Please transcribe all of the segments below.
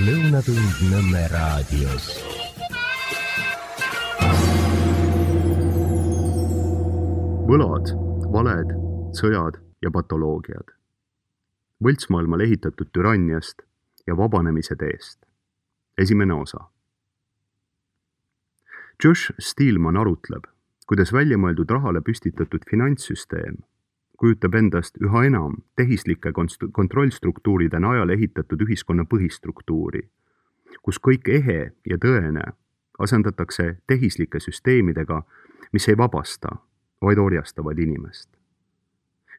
Lõunatund Nõmme raadios. Võlad, valed, sõjad ja patoloogiad. Võltsmaailmal ehitatud türanniast ja vabanemise teest. Esimene osa. Josh Steelman arutleb, kuidas väljamõeldud rahale püstitatud finantssüsteem kujutab endast üha enam tehislike kontrollstruktuuride najal ehitatud ühiskonna põhistruktuuri, kus kõik ehe ja tõene asendatakse tehislike süsteemidega, mis ei vabasta, vaid orjastavad inimest.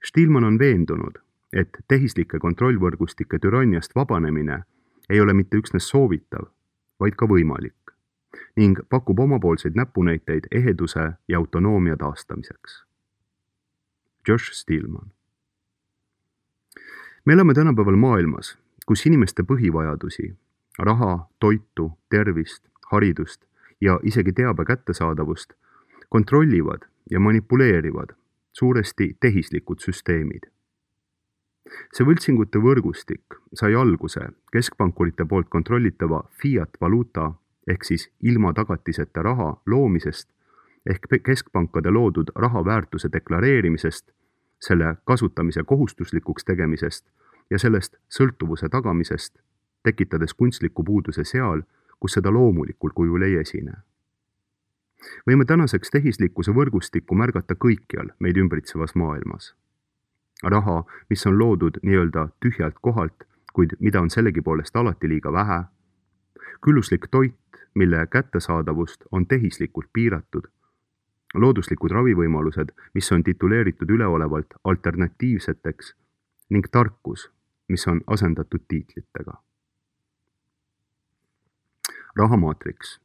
Steelman on veendunud, et tehislike kontrollvõrgustike türanniast vabanemine ei ole mitte üksnes soovitav, vaid ka võimalik ning pakub omapoolseid näpunäiteid eheduse ja autonoomia taastamiseks. Josh Steelman. Me elame tänapäeval maailmas, kus inimeste põhivajadusi, raha, toitu, tervist, haridust ja isegi teabe kättesaadavust kontrollivad ja manipuleerivad suuresti tehislikud süsteemid. See võltsingute võrgustik sai alguse keskpankurite poolt kontrollitava fiat valuuta ehk siis ilma tagatiseta raha loomisest ehk keskpankade loodud raha väärtuse deklareerimisest, selle kasutamise kohustuslikuks tegemisest ja sellest sõltuvuse tagamisest, tekitades kunstliku puuduse seal, kus seda loomulikul kujul ei esine. Võime tänaseks tehislikkuse võrgustikku märgata kõikjal meid ümbritsevas maailmas. Raha, mis on loodud nii-öelda tühjalt kohalt, kuid mida on sellegipoolest alati liiga vähe, külluslik toit, mille kättesaadavust on tehislikult piiratud, looduslikud ravivõimalused, mis on tituleeritud üleolevalt alternatiivseteks ning tarkus, mis on asendatud tiitlitega. Rahamaatriks.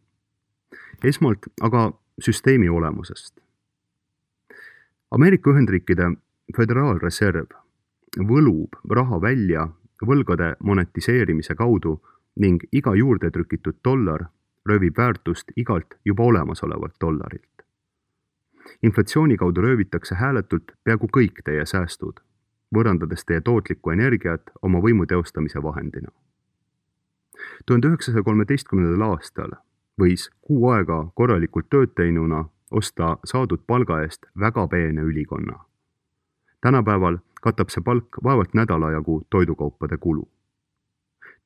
Esmalt aga süsteemi olemusest. Ameerika Ühendriikide Föderaalreserv võlub raha välja võlgade monetiseerimise kaudu ning iga juurde trükitud dollar röövib väärtust igalt juba olemasolevalt dollarilt. Inflatsiooni kaudu röövitakse hääletult peaaegu kõik teie säästud, võõrandades teie tootlikku energiat oma võimu teostamise vahendina. 1913. aastal võis kuu aega korralikult tööd teinuna osta saadud palga eest väga peene ülikonna. Tänapäeval katab see palk vaevalt nädala jagu toidukaupade kulu.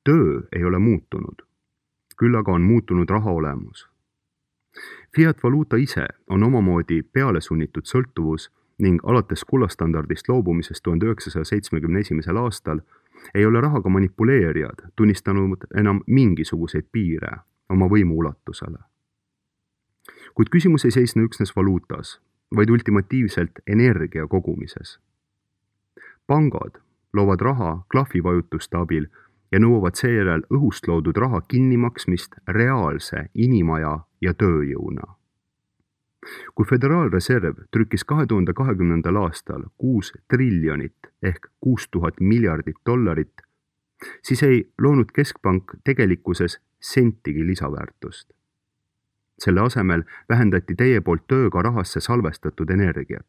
Töö ei ole muutunud, küll aga on muutunud raha olemus. Fiat valuuta ise on omamoodi peale sunnitud sõltuvus ning alates kullastandardist loobumisest 1971. aastal ei ole rahaga manipuleerijad tunnistanud enam mingisuguseid piire oma võimu ulatusele. Kuid küsimus ei seisne üksnes valuutas, vaid ultimatiivselt energia kogumises. Pangad loovad raha klahvivajutuste abil ja nõuavad seejärel õhust loodud raha kinnimaksmist reaalse inimaja ja tööjõuna. Kui Föderaalreserv trükkis 2020. aastal 6 triljonit ehk 6000 miljardit dollarit, siis ei loonud keskpank tegelikkuses sentigi lisaväärtust. Selle asemel vähendati teie poolt tööga rahasse salvestatud energiat.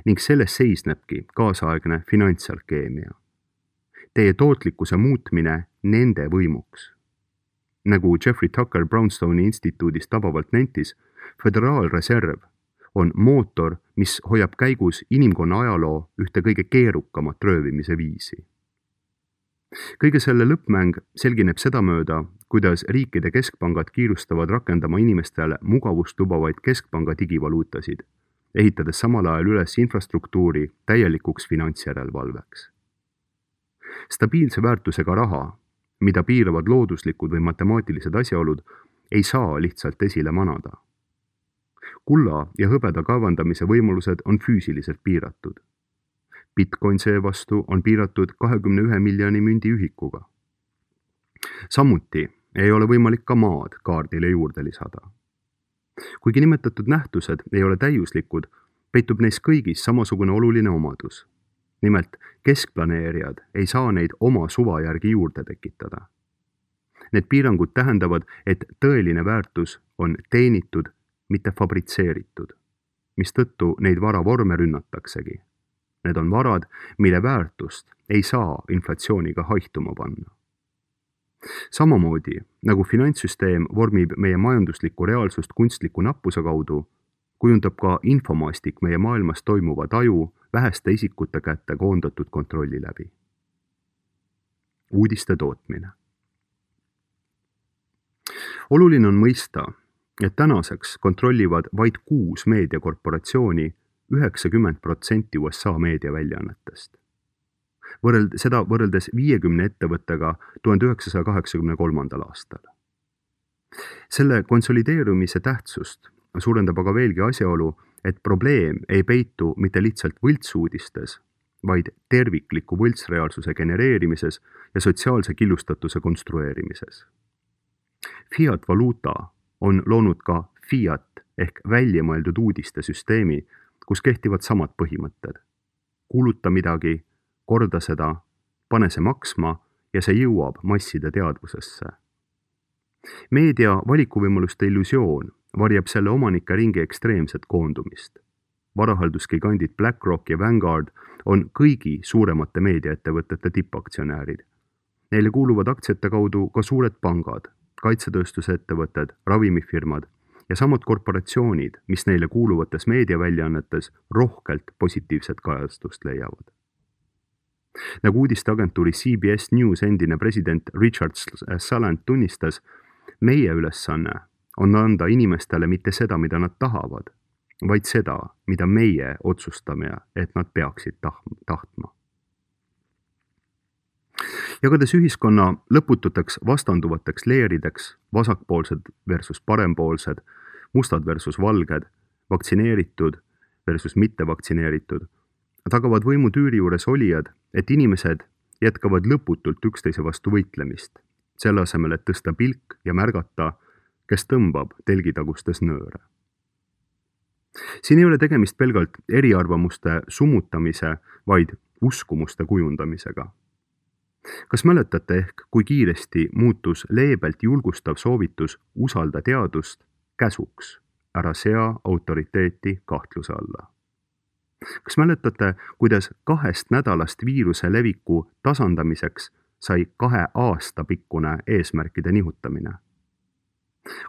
Ning selles seisnebki kaasaegne finantsalkeemia. Teie tootlikkuse muutmine nende võimuks. Nagu Jeffrey Tucker Brownstone'i instituudist tabavalt nentis, Föderaalreserv on mootor, mis hoiab käigus inimkonna ajaloo ühte kõige keerukamat röövimise viisi. Kõige selle lõppmäng selgineb sedamööda, kuidas riikide keskpangad kiirustavad rakendama inimestele mugavust lubavaid keskpanga digivaluutasid, ehitades samal ajal üles infrastruktuuri täielikuks finantsjärelevalveks. Stabiilse väärtusega raha, mida piiravad looduslikud või matemaatilised asjaolud, ei saa lihtsalt esile manada. Kulla ja hõbeda kaevandamise võimalused on füüsiliselt piiratud. Bitcoin seevastu on piiratud 21 miljoni mündi ühikuga. Samuti ei ole võimalik ka maad kaardile juurde lisada. Kuigi nimetatud nähtused ei ole täiuslikud, peitub neis kõigis samasugune oluline omadus. Nimelt, keskplaneerijad ei saa neid oma suva järgi juurde tekitada. Need piirangud tähendavad, et tõeline väärtus on teenitud, mitte fabritseeritud, mistõttu neid varavorme rünnataksegi. Need on varad, mille väärtust ei saa inflatsiooniga haihtuma panna. Samamoodi, nagu finantssüsteem vormib meie majanduslikku reaalsust kunstliku nappuse kaudu, kujundab ka infomaastik meie maailmas toimuva taju väheste isikute kätte koondatud kontrolli läbi. Uudiste tootmine. Oluline on mõista, et tänaseks kontrollivad vaid 6 meediakorporatsiooni 90% USA meediaväljaannetest. Seda võrreldes 50 ettevõttega 1983. aastal. Selle konsolideerumise tähtsust suurendab aga veelgi asjaolu, et probleem ei peitu mitte lihtsalt võltsuudistes, vaid tervikliku võltsreaalsuse genereerimises ja sotsiaalse killustatuse konstrueerimises. Fiat valuuta on loonud ka Fiat ehk väljamõeldud uudiste süsteemi, kus kehtivad samad põhimõtted. Kuuluta midagi, korda seda, pane see maksma ja see jõuab masside teadvusesse. Meedia valikuvõimaluste illusioon varjab selle omanike ringi ekstreemset koondumist. Varahalduskigandid BlackRock ja Vanguard on kõigi suuremate meediaettevõtete tippaktsionäärid. Neile kuuluvad aktsiate kaudu ka suured pangad, kaitsetööstusettevõtted, ravimifirmad ja samad korporatsioonid, mis neile kuuluvates meediaväljaannetes rohkelt positiivset kajastust leiavad. Nagu uudisteagentuuri CBS News endine president Richard Salant tunnistas, meie ülesanne on anda inimestele mitte seda, mida nad tahavad, vaid seda, mida meie otsustame, et nad peaksid tahtma. Jagades ühiskonna lõpututeks vastanduvateks leerideks, vasakpoolsed versus parempoolsed, mustad versus valged, vaktsineeritud versus mittevaktsineeritud, tagavad võimutüüri juures olijad, et inimesed jätkavad lõputult üksteise vastu võitlemist, selle asemel, et tõsta pilk ja märgata, kes tõmbab telgitagustes nööre. Siin ei ole tegemist pelgalt eriarvamuste summutamise, vaid uskumuste kujundamisega. Kas mäletate ehk, kui kiiresti muutus leebelt julgustav soovitus usalda teadust käsuks, ära sea autoriteeti kahtluse alla? Kas mäletate, kuidas 2 nädalast viiruse leviku tasandamiseks sai 2 aasta pikkune eesmärkide nihutamine?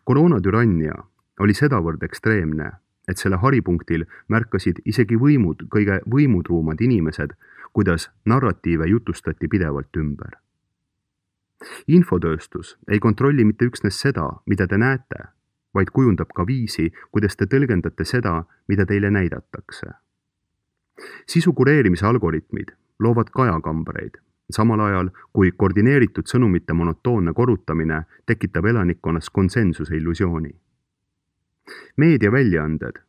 Koroonatürannia oli sedavõrd ekstreemne, et selle haripunktil märkasid isegi kõige võimutruumad inimesed, kuidas narratiive jutustati pidevalt ümber. Infotööstus ei kontrolli mitte üksnes seda, mida te näete, vaid kujundab ka viisi, kuidas te tõlgendate seda, mida teile näidatakse. Sisu kureerimise algoritmid loovad kajakambreid, samal ajal kui koordineeritud sõnumite monotoonne korrutamine tekitab elanikkonnas konsensuse illusiooni. Meediaväljaanded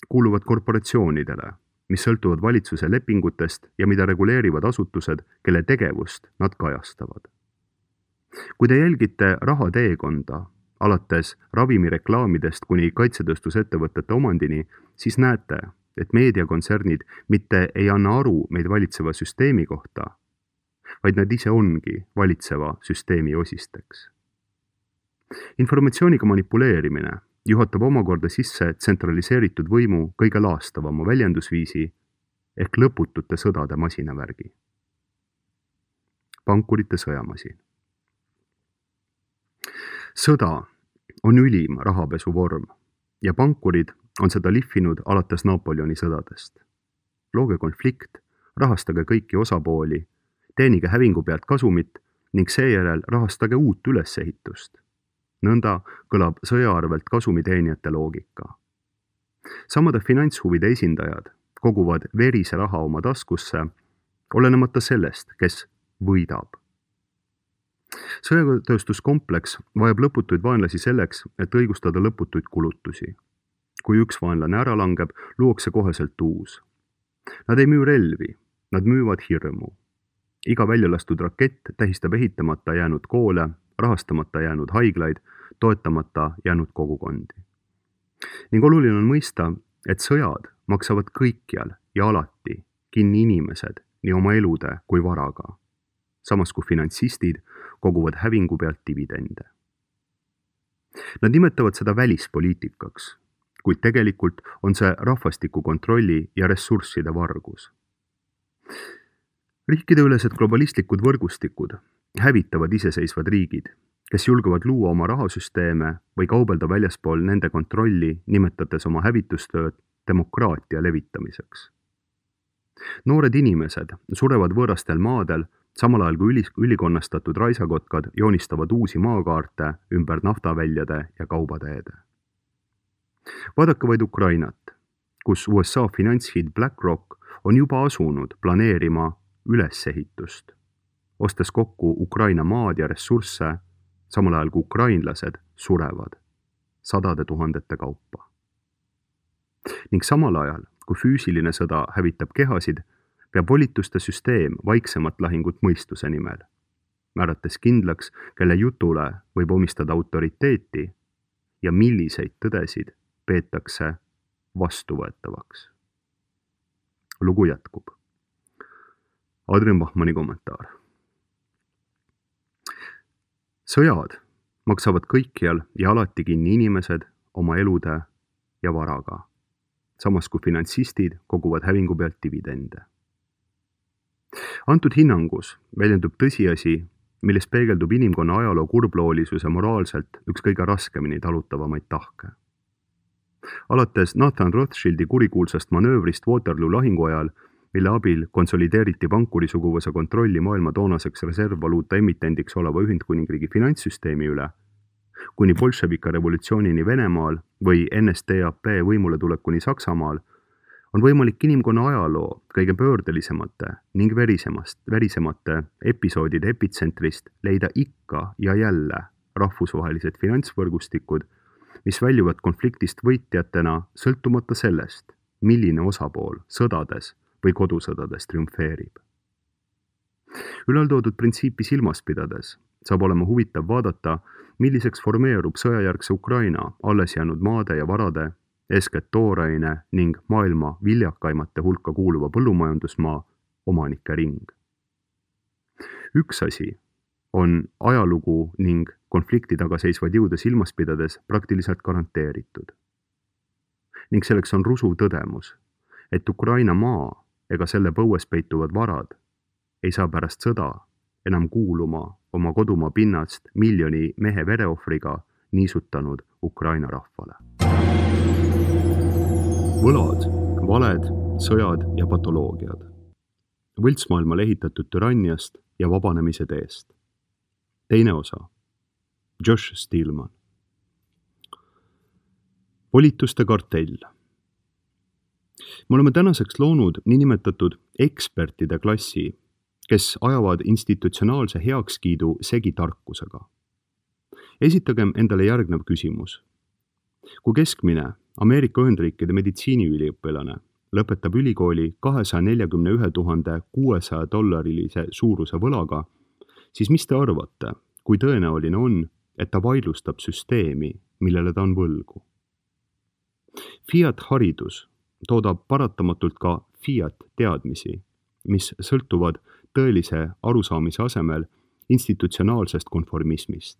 kuuluvad korporatsioonidele, mis sõltuvad valitsuse lepingutest ja mida reguleerivad asutused, kelle tegevust nad kajastavad. Kui te jälgite rahateekonda, alates ravimireklaamidest kuni kaitsetööstusettevõtete omandini, siis näete, et meediakontsernid mitte ei anna aru meid valitseva süsteemi kohta, vaid nad ise ongi valitseva süsteemi osisteks. Informatsiooniga manipuleerimine juhatab omakorda sisse tsentraliseeritud võimu kõige laastavama väljendusviisi ehk lõputute sõdade masinavärgi. Pankurite sõjamasin. Sõda on ülim rahapesu vorm ja pankurid on seda lihvinud alates Napoleoni sõdadest. Looge konflikt, rahastage kõiki osapooli, teenige hävingu pealt kasumit ning seejärel rahastage uut ülesehitust. Nõnda kõlab sõja arvelt kasumiteenijate loogika. Samade finantshuvide esindajad koguvad verise raha oma taskusse, olenemata sellest, kes võidab. Sõjatööstuskompleks vajab lõputuid vaenlasi selleks, et õigustada lõputuid kulutusi. Kui üks vaenlane ära langeb, luuakse koheselt uus. Nad ei müü relvi, nad müüvad hirmu. Iga väljalastud rakett tähistab ehitamata jäänud koole, rahastamata jäänud haiglaid, toetamata jäänud kogukondi. Ning oluline on mõista, et sõjad maksavad kõikjal ja alati kinni inimesed nii oma elude kui varaga, samas kui finantsistid koguvad hävingu pealt dividende. Nad nimetavad seda välispoliitikaks, kuid tegelikult on see rahvastiku kontrolli ja ressursside vargus. Riikideülesed globalistlikud võrgustikud hävitavad iseseisvad riigid, kes julgevad luua oma rahasüsteeme või kaubelda väljaspool nende kontrolli, nimetades oma hävitustööd demokraatia levitamiseks. Noored inimesed surevad võõrastel maadel, samal ajal kui ülikonnastatud raisakotkad joonistavad uusi maakaarte ümber naftaväljade ja kaubateede. Vaadake vaid Ukrainat, kus USA finantshiid BlackRock on juba asunud planeerima ülesehitust, ostes kokku Ukraina maad ja ressursse, samal ajal kui ukrainlased surevad sadade tuhandete kaupa. Ning samal ajal, kui füüsiline sõda hävitab kehasid, peab volituste süsteem vaiksemat lahingut mõistuse nimel, määrates kindlaks, kelle jutule võib omistada autoriteeti ja milliseid tõdesid peetakse vastuvõetavaks. Lugu jätkub. Adrian Bachmanni kommentaar. Sõjad maksavad kõikjal ja alati kinni inimesed oma elude ja varaga, samas kui finantsistid koguvad hävingu pealt dividende. Antud hinnangus väljendub tõsiasi, milles peegeldub inimkonna ajaloo kurbloolisuse moraalselt üks kõige raskemini talutavamaid tahke. Alates Nathan Rothschildi kurikuulsast manöövrist Waterloo lahingu ajal, mille abil konsolideeriti pankuri suguvõsa kontrolli maailma toonaseks reservvaluuta emitendiks oleva Ühendkuningriigi finantssüsteemi üle, kuni bolševika revolutsioonini Venemaal või NSDAP võimule tulekuni Saksamaal, on võimalik inimkonna ajaloo kõige pöördelisemate ning verisemate episoodide epitsentrist leida ikka ja jälle rahvusvahelised finantsvõrgustikud, mis väljuvad konfliktist võitjatena sõltumata sellest, milline osapool sõdades või kodusõdades triumfeerib. Ülaltoodud printsiipi silmas pidades saab olema huvitav vaadata, milliseks formeerub sõjajärgse Ukraina alles jäänud maade ja varade, eeskätt tooraine ning maailma viljakaimate hulka kuuluva põllumajandusmaa omanike ring. Üks asi on ajalugu ning konflikti taga seisvad jõude silmas pidades praktiliselt garanteeritud. Ning selleks on rusuv tõdemus, et Ukraina maa ega selle põues peituvad varad ei saa pärast sõda enam kuuluma oma kodumaa pinnast miljoni mehe vereohvriga niisutanud Ukraina rahvale. Võlad, valed, sõjad ja patoloogiad. Võltsmaailmale ehitatud türanniast ja vabanemise teest. Teine osa. Josh Steelman. Volituste kartell. Me oleme tänaseks loonud niinimetatud ekspertide klassi, kes ajavad institutsionaalse heakskiidu segi tarkusega. Esitagem endale järgnev küsimus. Kui keskmine Ameerika Ühendriikide meditsiiniüliõpilane lõpetab ülikooli $241 600 suuruse võlaga, siis mis te arvate, kui tõenäoline on, et ta vaidlustab süsteemi, millele ta on võlgu? Fiat-haridus toodab paratamatult ka Fiat-teadmisi, mis sõltuvad tõelise arusaamise asemel institutsionaalsest konformismist.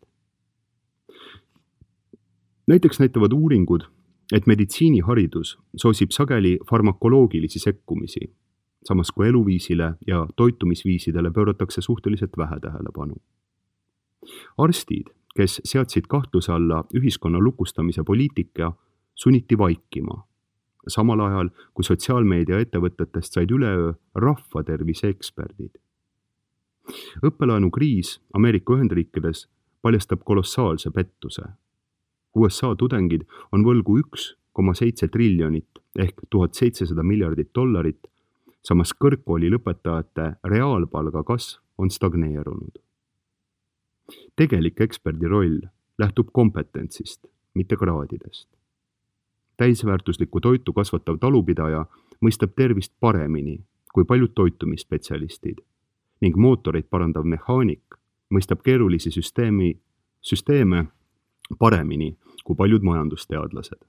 Näiteks näitavad uuringud, et meditsiiniharidus soosib sageli farmakoloogilisi sekkumisi, samas kui eluviisile ja toitumisviisidele pööratakse suhteliselt vähe tähelepanu. Arstid, kes seadsid kahtluse alla ühiskonna lukustamise poliitika, sunniti vaikima, samal ajal kui sotsiaalmeedia ettevõtetest said üleöö rahvatervise eksperdid. Õppelaenukriis Ameerika Ühendriikides paljastab kolossaalse pettuse. USA tudengid on võlgu 1,7 triljonit ehk $1700 miljardit, samas kõrgkooli lõpetajate reaalpalga kasv on stagneerunud. Tegelik eksperdi roll lähtub kompetentsist, mitte kraadidest. Täisväärtuslikku toitu kasvatav talupidaja mõistab tervist paremini kui paljud toitumisspetsialistid ning mootoreid parandav mehaanik mõistab keerulisi süsteeme paremini kui paljud majandusteadlased.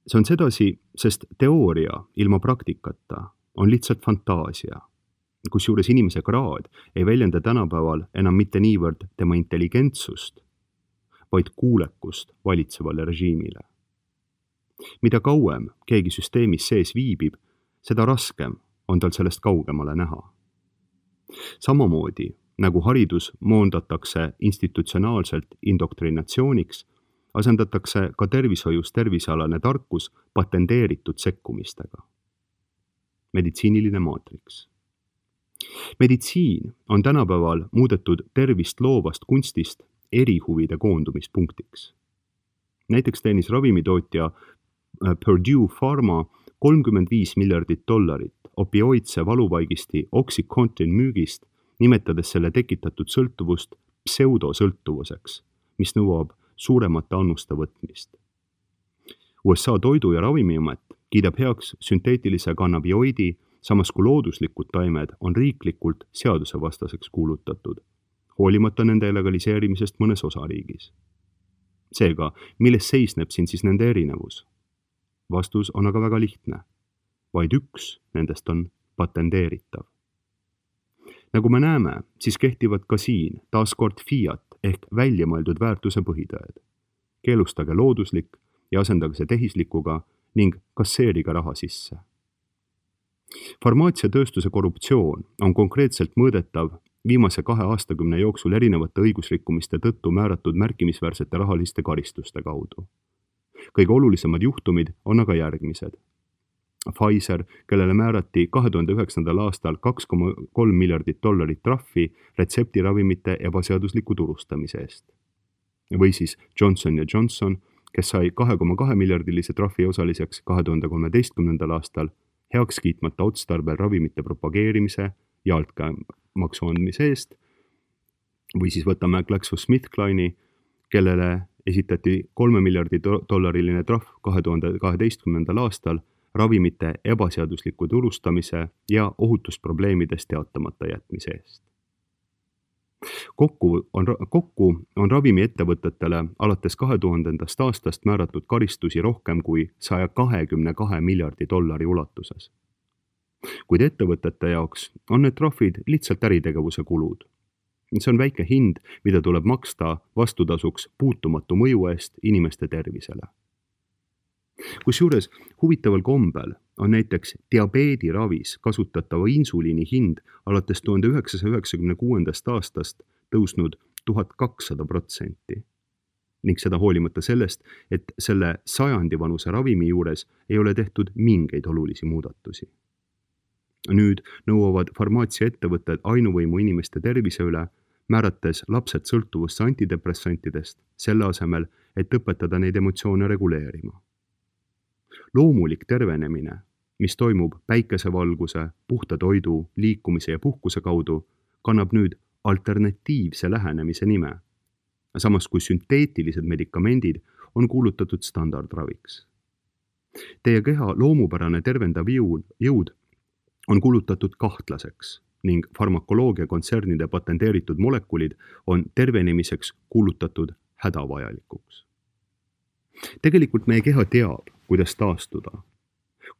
See on sedasi, sest teooria ilma praktikata on lihtsalt fantaasia, kusjuures inimese kraad ei väljenda tänapäeval enam mitte niivõrd tema intelligentsust, vaid kuulekust valitsevale režiimile. Mida kauem keegi süsteemis sees viibib, seda raskem on tal sellest kaugemale näha. Samamoodi nagu haridus moondatakse institutsionaalselt indoktrinatsiooniks, asendatakse ka tervishoius tervisealane tarkus patenteeritud sekkumistega. Meditsiiniline maatriks. Meditsiin on tänapäeval muudetud tervist loovast kunstist erihuvide koondumispunktiks. Näiteks teenis ravimitootja Purdue Pharma $35 miljardit opioidse valuvaigisti Oxycontin müügist, nimetades selle tekitatud sõltuvust pseudosõltuvuseks, mis nõuab suuremate annuste võtmist. USA Toidu- ja Ravimiamet kiidab heaks sünteetilise kannabioidi, samas kui looduslikud taimed on riiklikult seadusevastaseks kuulutatud, hoolimata nende legaliseerimisest mõnes osariigis. Seega, milles seisneb siin siis nende erinevus? Vastus on aga väga lihtne. Vaid üks nendest on patenteeritav. Nagu me näeme, siis kehtivad ka siin taaskord fiat ehk väljamõeldud väärtuse põhitõed. Keelustage looduslik ja asendage see tehislikuga ning kasseerige raha sisse. Farmaatsiatööstuse korruptsioon on konkreetselt mõõdetav viimase 2 aastakümne jooksul erinevate õigusrikkumiste tõttu määratud märkimisväärsete rahaliste karistuste kaudu. Kõige olulisemad juhtumid on aga järgmised. Pfizer, kellele määrati 2009. aastal $2,3 miljardit trahvi retseptiravimite ebaseadusliku turustamise eest. Või siis Johnson & Johnson, kes sai 2,2 miljardilise trahvi osaliseks 2013. aastal heaks kiitmata otstarbel ravimite propageerimise ja altkäemaksu andmise eest. Või siis võtame GlaxoSmithKline'i, kellele esitati $3 miljardi trahv 2012. aastal ravimite ebaseadusliku turustamise ja ohutusprobleemidest teatamata jätmise eest. Kokku on ravimiettevõtetele alates 2000. aastast määratud karistusi rohkem kui $122 miljardi ulatuses. Kuid ettevõtete jaoks on need trahvid lihtsalt äritegevuse kulud. See on väike hind, mida tuleb maksta vastutasuks puutumatu mõju eest inimeste tervisele. Kusjuures huvitaval kombel on näiteks diabeediravis kasutatava insuliini hind alates 1996. aastast tõusnud 1200%. Ning seda hoolimata sellest, et selle sajandivanuse ravimi juures ei ole tehtud mingeid olulisi muudatusi. Nüüd nõuavad farmaatsiaettevõtted ainuvõimu inimeste tervise üle, määrates lapsed sõltuvusse antidepressantidest, selle asemel, et õpetada neid emotsioone reguleerima. Loomulik tervenemine, mis toimub päikesevalguse, puhta toidu, liikumise ja puhkuse kaudu, kannab nüüd alternatiivse lähenemise nime, samas kui sünteetilised medikamendid on kuulutatud standardraviks. Teie keha loomupärane tervendav jõud on kuulutatud kahtlaseks ning farmakoloogia kontsernide patenteeritud molekulid on tervenemiseks kuulutatud hädavajalikuks. Tegelikult meie keha teab, kuidas taastuda,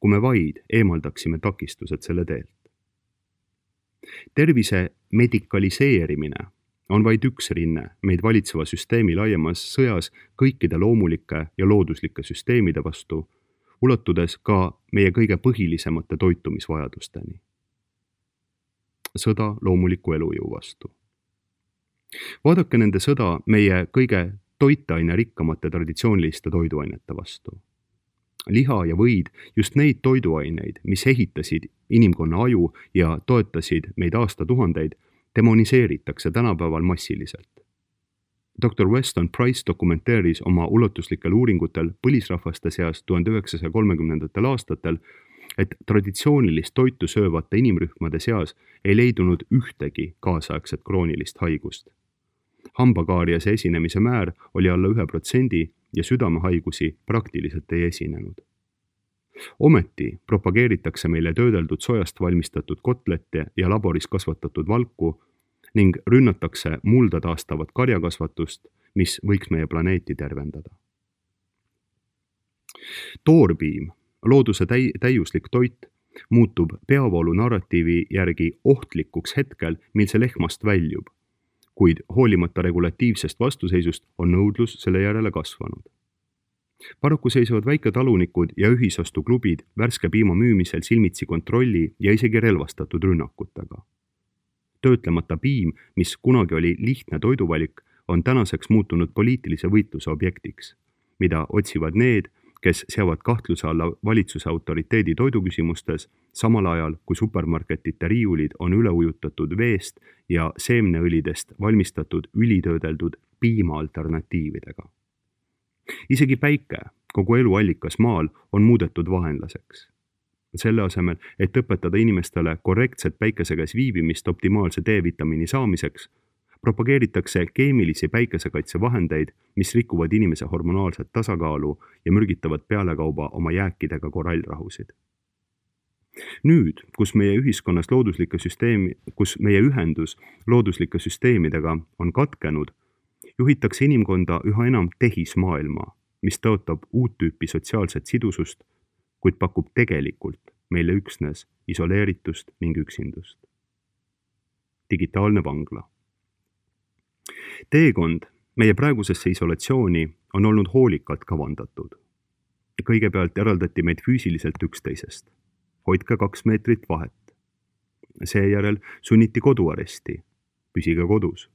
kui me vaid eemaldaksime takistused selle teelt. Tervise medikaliseerimine on vaid üks rinne meid valitseva süsteemi laiemas sõjas kõikide loomulike ja looduslike süsteemide vastu, ulatudes ka meie kõige põhilisemate toitumisvajadusteni. Sõda loomuliku elujõu vastu. Vaadake nende sõda meie kõige toitaine rikkamate traditsiooniliste toiduainete vastu. Liha ja võid, just neid toiduaineid, mis ehitasid inimkonna aju ja toetasid meid aastatuhandeid, demoniseeritakse tänapäeval massiliselt. Dr. Weston Price dokumenteeris oma ulatuslikel uuringutel põlisrahvaste seas 1930. aastatel, et traditsioonilist toitu söövate inimrühmade seas ei leidunud ühtegi kaasaegset kroonilist haigust. Hambakaariase esinemise määr oli alla 1% ja südamehaigusi praktiliselt ei esinenud. Ometi propageeritakse meile töödeldud sojast valmistatud kotlette ja laboris kasvatatud valku ning rünnatakse mulda taastavat karjakasvatust, mis võiks meie planeeti tervendada. Toorpiim, looduse täiuslik toit, muutub peavoolu narratiivi järgi ohtlikuks hetkel, mil see lehmast väljub, kuid hoolimata regulatiivsest vastuseisust on nõudlus selle järele kasvanud. Paraku seisavad väiketalunikud ja ühisostuklubid värske piima müümisel silmitsi kontrolli ja isegi relvastatud rünnakutega. töötlemata piim, mis kunagi oli lihtne toiduvalik, on tänaseks muutunud poliitilise võitluse objektiks, mida otsivad need, kes seavad kahtluse alla valitsuse autoriteedi toiduküsimustes, samal ajal kui supermarketite riiulid on üle ujutatud veest ja seemneõlidest valmistatud ülitöödeldud piima alternatiividega. Isegi päike, kogu eluallikas maal, on muudetud vaenlaseks. Selle asemel, et õpetada inimestele korrektset päikese käes viibimist optimaalse D-vitamiini saamiseks, propageeritakse keemilisi päikesekaitsevahendeid, mis rikuvad inimese hormonaalset tasakaalu ja mürgitavad pealekauba oma jääkidega korallrahusid. Nüüd, kus meie ühendus looduslike süsteemidega on katkenud, juhitakse inimkonda üha enam tehismaailma, mis tõotab uut tüüpi sotsiaalset sidusust, kuid pakub tegelikult meile üksnes isoleeritust ning üksindust. Digitaalne vangla. Teekond meie praegusesse isolatsiooni on olnud hoolikalt kavandatud. Kõigepealt eraldati meid füüsiliselt üksteisest. Hoidke 2 meetrit vahet. Seejärel sunniti koduaresti. Püsige kodus.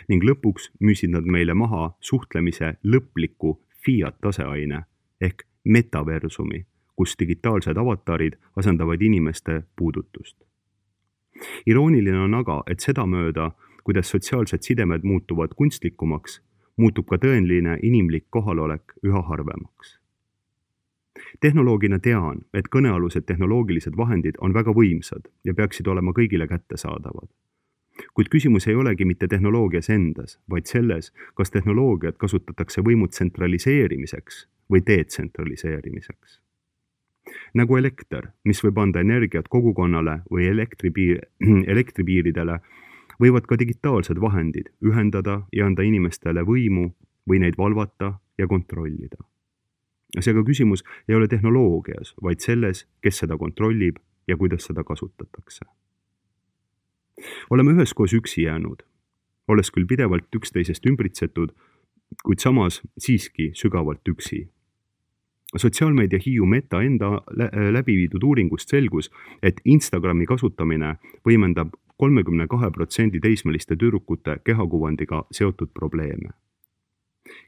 Ning lõpuks müüsid nad meile maha suhtlemise lõpliku fiat-taseaine ehk metaversumi, kus digitaalsed avatarid asendavad inimeste puudutust. Irooniline on aga, et sedamööda, kuidas sotsiaalsed sidemed muutuvad kunstlikumaks, muutub ka tõeline inimlik kohalolek üha harvemaks. Tehnoloogina tean, et kõnealused tehnoloogilised vahendid on väga võimsad ja peaksid olema kõigile kättesaadavad. Kuid küsimus ei olegi mitte tehnoloogias endas, vaid selles, kas tehnoloogiat kasutatakse võimu tsentraliseerimiseks või detsentraliseerimiseks. Nagu elekter, mis võib anda energiat kogukonnale või elektripiiridele, võivad ka digitaalsed vahendid ühendada ja anda inimestele võimu või neid valvata ja kontrollida. Seega küsimus ei ole tehnoloogias, vaid selles, kes seda kontrollib ja kuidas seda kasutatakse. Oleme üheskoos üksi jäänud, olles küll pidevalt üksteisest ümbritsetud, kuid samas siiski sügavalt üksi. Sotsiaalmeedia Hiiu Meta enda läbiviidud uuringust selgus, et Instagrami kasutamine võimendab 32% teismeliste tüdrukute kehakuvandiga seotud probleeme.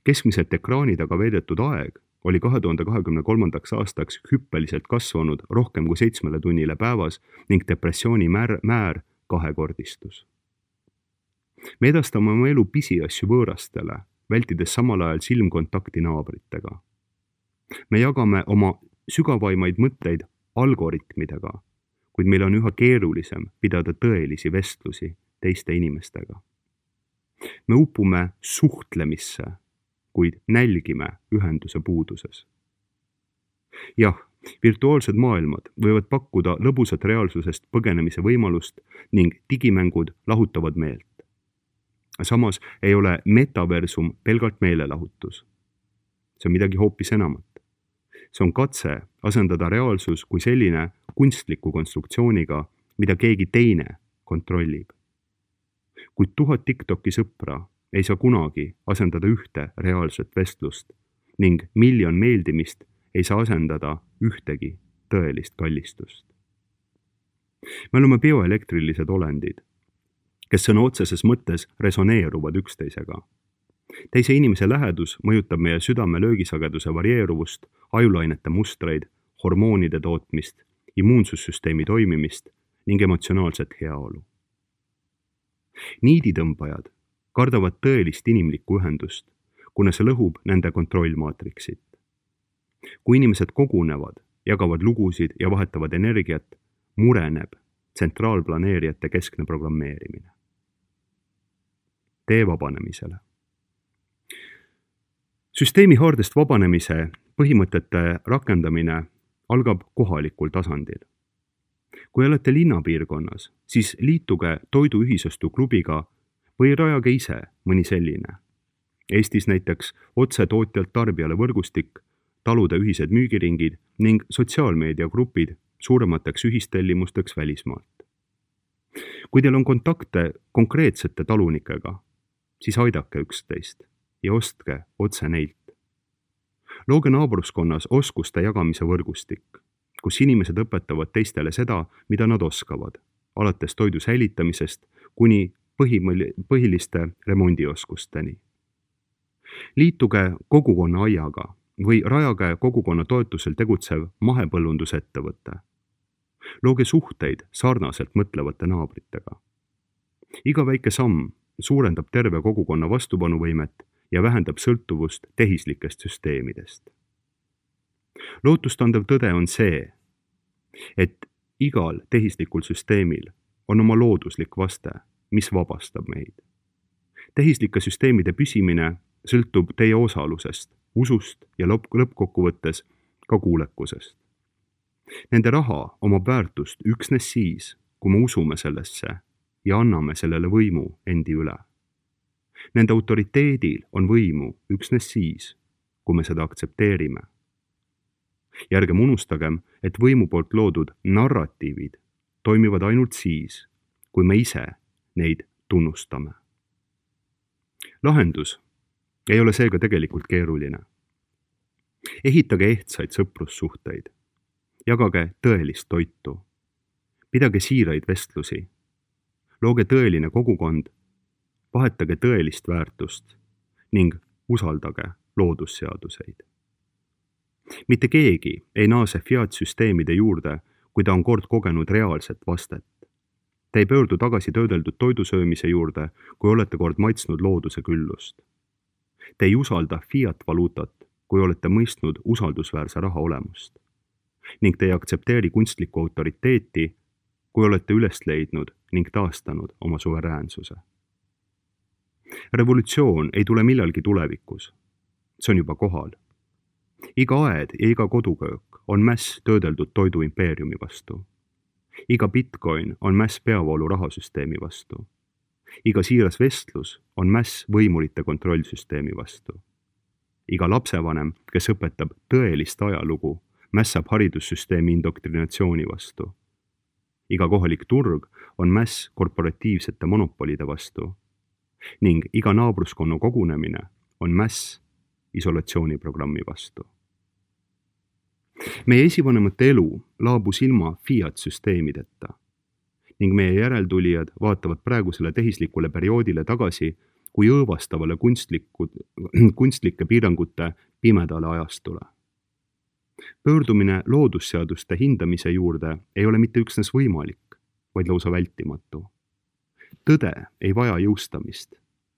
Keskmiselt ekraani taga veedetud aeg oli 2023. aastaks hüppeliselt kasvanud rohkem kui 7 tunnile päevas ning depressiooni määr kahekordistus. Me edastame oma elu pisiasju võõrastele, vältides samal ajal silmkontakti naabritega. Me jagame oma sügavaimaid mõtteid algoritmidega, kuid meil on üha keerulisem pidada tõelisi vestlusi teiste inimestega. Me upume suhtlemisse, kuid nälgime ühenduse puuduses. Jah, virtuaalsed maailmad võivad pakkuda lõbusat reaalsusest põgenemise võimalust ning digimängud lahutavad meelt. Samas ei ole metaversum pelgalt meelelahutus. See on midagi hoopis enamat. See on katse asendada reaalsus kui selline kunstliku konstruktsiooniga, mida keegi teine kontrollib. Kuid 1000 TikToki sõpra ei saa kunagi asendada ühte reaalset vestlust ning 1 miljon meeldimist ei saa asendada ühtegi tõelist kallistust. Me oleme bioelektrilised olendid, kes sõna otseses mõttes resoneeruvad üksteisega. Teise inimese lähedus mõjutab meie südame löögisageduse varieeruvust, ajulainete mustreid, hormoonide tootmist, immuunsussüsteemi toimimist ning emotsionaalset heaolu. Niiditõmbajad kardavad tõelist inimlikku ühendust, kuna see lõhub nende kontrollmaatriksit. Kui inimesed kogunevad, jagavad lugusid ja vahetavad energiat, mureneb tsentraalplaneerijate keskne programmeerimine. Tee vabanemisele. Süsteemi haardest vabanemise põhimõtete rakendamine algab kohalikul tasandil. Kui olete linnapiirkonnas, siis liituge toiduühisostu klubiga või rajage ise mõni selline. Eestis näiteks otse tootjalt tarbijale võrgustik, talude ühised müügiringid ning sotsiaalmeediagrupid suuremateks ühistellimusteks välismaalt. Kui teil on kontakte konkreetsete talunikega, siis aidake üksteist ja ostke otse neilt. Looge naabruskonnas oskuste jagamise võrgustik, kus inimesed õpetavad teistele seda, mida nad oskavad alates toidu säilitamisest kuni põhiliste remondioskusteni. Liituge kogukonna aiaga või rajage kogukonna toetusel tegutsev mahepõllundusettevõte. Looge suhteid sarnaselt mõtlevate naabritega. Iga väike samm suurendab terve kogukonna vastupanuvõimet ja vähendab sõltuvust tehislikest süsteemidest. Lootustandev tõde on see, et igal tehislikul süsteemil on oma looduslik vaste, mis vabastab meid. Tehislike süsteemide püsimine sõltub teie osalusest, usust ja lõppkokkuvõttes ka kuulekusest. Nende raha omab väärtust üksnes siis, kui me usume sellesse ja anname sellele võimu endi üle. Nende autoriteedil on võimu üksnes siis, kui me seda aktsepteerime. Ja ärgem unustagem, et võimu poolt loodud narratiivid toimivad ainult siis, kui me ise neid tunnustame. Lahendus ei ole seega tegelikult keeruline. Ehitage ehtsaid sõprussuhteid. Jagage tõelist toitu. Pidage siiraid vestlusi. Looge tõeline kogukond. Vahetage tõelist väärtust ning usaldage loodusseaduseid. Mitte keegi ei naase fiat-süsteemide juurde, kui ta on kord kogenud reaalset vastet. Te ei pöördu tagasi töödeldud toidusöömise juurde, kui olete kord maitsnud looduse küllust. Te ei usalda fiat-valuutat, kui olete mõistnud usaldusväärse raha olemust. Ning te ei aktsepteeri kunstlikku autoriteeti, kui olete üles leidnud ning taastanud oma suveräänsuse. Revolutsioon ei tule millalgi tulevikus. See on juba kohal. Iga aed ja iga koduköök on mäss töödeldud toidu impeeriumi vastu. Iga bitcoin on mäss peavoolu rahasüsteemi vastu. Iga siiras vestlus on mäss võimurite kontrollsüsteemi vastu. Iga lapsevanem, kes õpetab tõelist ajalugu, mässab haridussüsteemi indoktrinatsiooni vastu. Iga kohalik turg on mäss korporatiivsete monopolide vastu. Ning iga naabruskonna kogunemine on mäss isolatsiooniprogrammi vastu. Meie esivanemate elu laabus ilma fiat-süsteemideta ning meie järeltulijad vaatavad praegusele tehislikule perioodile tagasi kui õõvastavale kunstlike piirangute pimedale ajastule. Pöördumine loodusseaduste hindamise juurde ei ole mitte üksnes võimalik, vaid lausa vältimatu. Tõde ei vaja jõustamist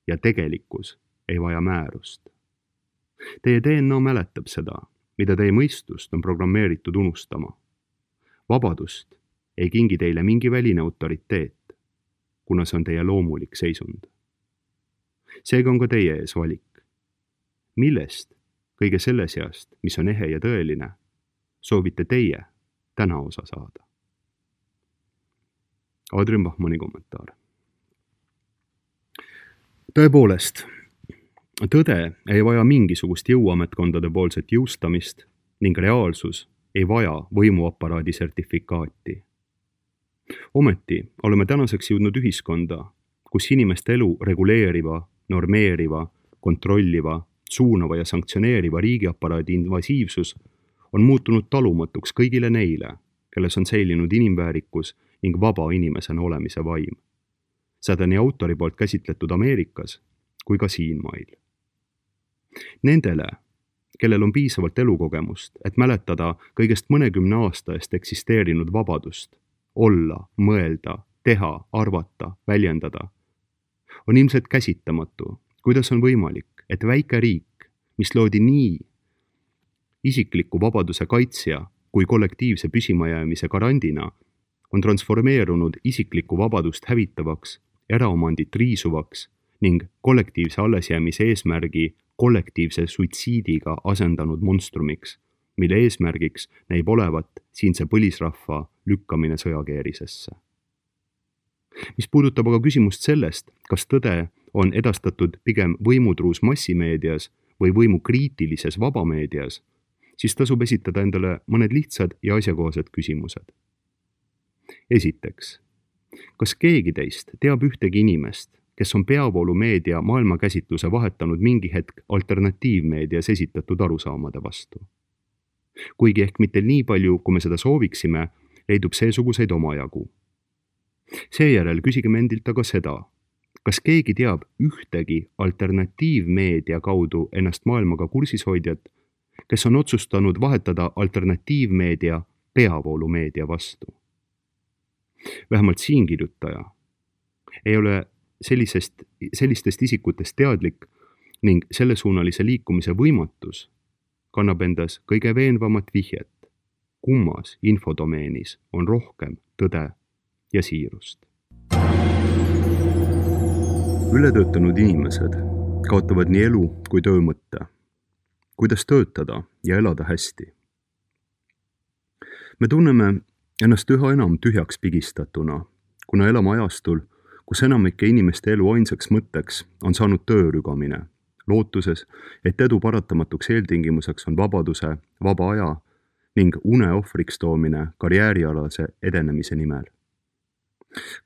ja tegelikkus ei vaja määrust. Teie DNA mäletab seda, mida teie mõistust on programmeeritud unustama. Vabadust ei kingi teile mingi väline autoriteet, kuna see on teie loomulik seisund. Seega on ka teie ees valik. Millest kõige selle seast, mis on ehe ja tõeline, soovite teie täna osa saada? Adrian Bachmanni kommentaar. Tõepoolest, tõde ei vaja mingisugust jõuametkondade poolset jõustamist ning reaalsus ei vaja võimuaparaadi sertifikaati. Ometi oleme tänaseks jõudnud ühiskonda, kus inimeste elu reguleeriva, normeeriva, kontrolliva, suunava ja sanktsioneeriva riigiaparaadi invasiivsus on muutunud talumatuks kõigile neile, kelles on säilinud inimväärikus ning vaba inimesena olemise vaim. Seda nii autori poolt käsitletud Ameerikas kui ka siinmail. Nendele, kellel on piisavalt elukogemust, et mäletada kõigest mõnekümne aasta eest eksisteerinud vabadust, olla, mõelda, teha, arvata, väljendada, on ilmselt käsitamatu, kuidas on võimalik, et väike riik, mis loodi nii isikliku vabaduse kaitsja kui kollektiivse püsimajäämise garandina, on transformeerunud isiklikku vabadust hävitavaks, eraomandit riisuvaks ning kollektiivse allesjäämise eesmärgi kollektiivse suitsiidiga asendanud monstrumiks, mille eesmärgiks näib olevat siinse põlisrahva lükkamine sõjakeerisesse. Mis puudutab aga küsimust sellest, kas tõde on edastatud pigem võimutruus massimeedias või võimukriitilises vabameedias, siis tasub esitada endale mõned lihtsad ja asjakohased küsimused. Esiteks, kas keegi teist teab ühtegi inimest, kes on peavoolumeedia maailmakäsitluse vahetanud mingi hetk alternatiivmeedias esitatud arusaamade vastu? Kuigi ehk mitte nii palju, kui me seda sooviksime, leidub seesuguseid omajagu. Seejärel küsigem endilt aga seda, kas keegi teab ühtegi alternatiivmeedia kaudu ennast maailmaga kursis hoidjat, kes on otsustanud vahetada alternatiivmeedia peavoolumeedia vastu. Vähemalt siinkirjutaja ei ole sellistest isikutest teadlik ning sellesuunalise liikumise võimatus kannab endas kõige veenvamat vihjet, kummas infodomeenis on rohkem tõde ja siirust. Ületöötanud inimesed kaotavad nii elu kui töö mõtte. Kuidas töötada ja elada hästi? Me tunneme ennast üha enam tühjaks pigistatuna, kuna elame ajastul, kus enamike inimeste elu ainsaks mõtteks on saanud töörügamine, lootuses, et edu paratamatuks eeltingimuseks on vabaduse, vaba aja ning une ohvriks toomine karjäärialase edenemise nimel.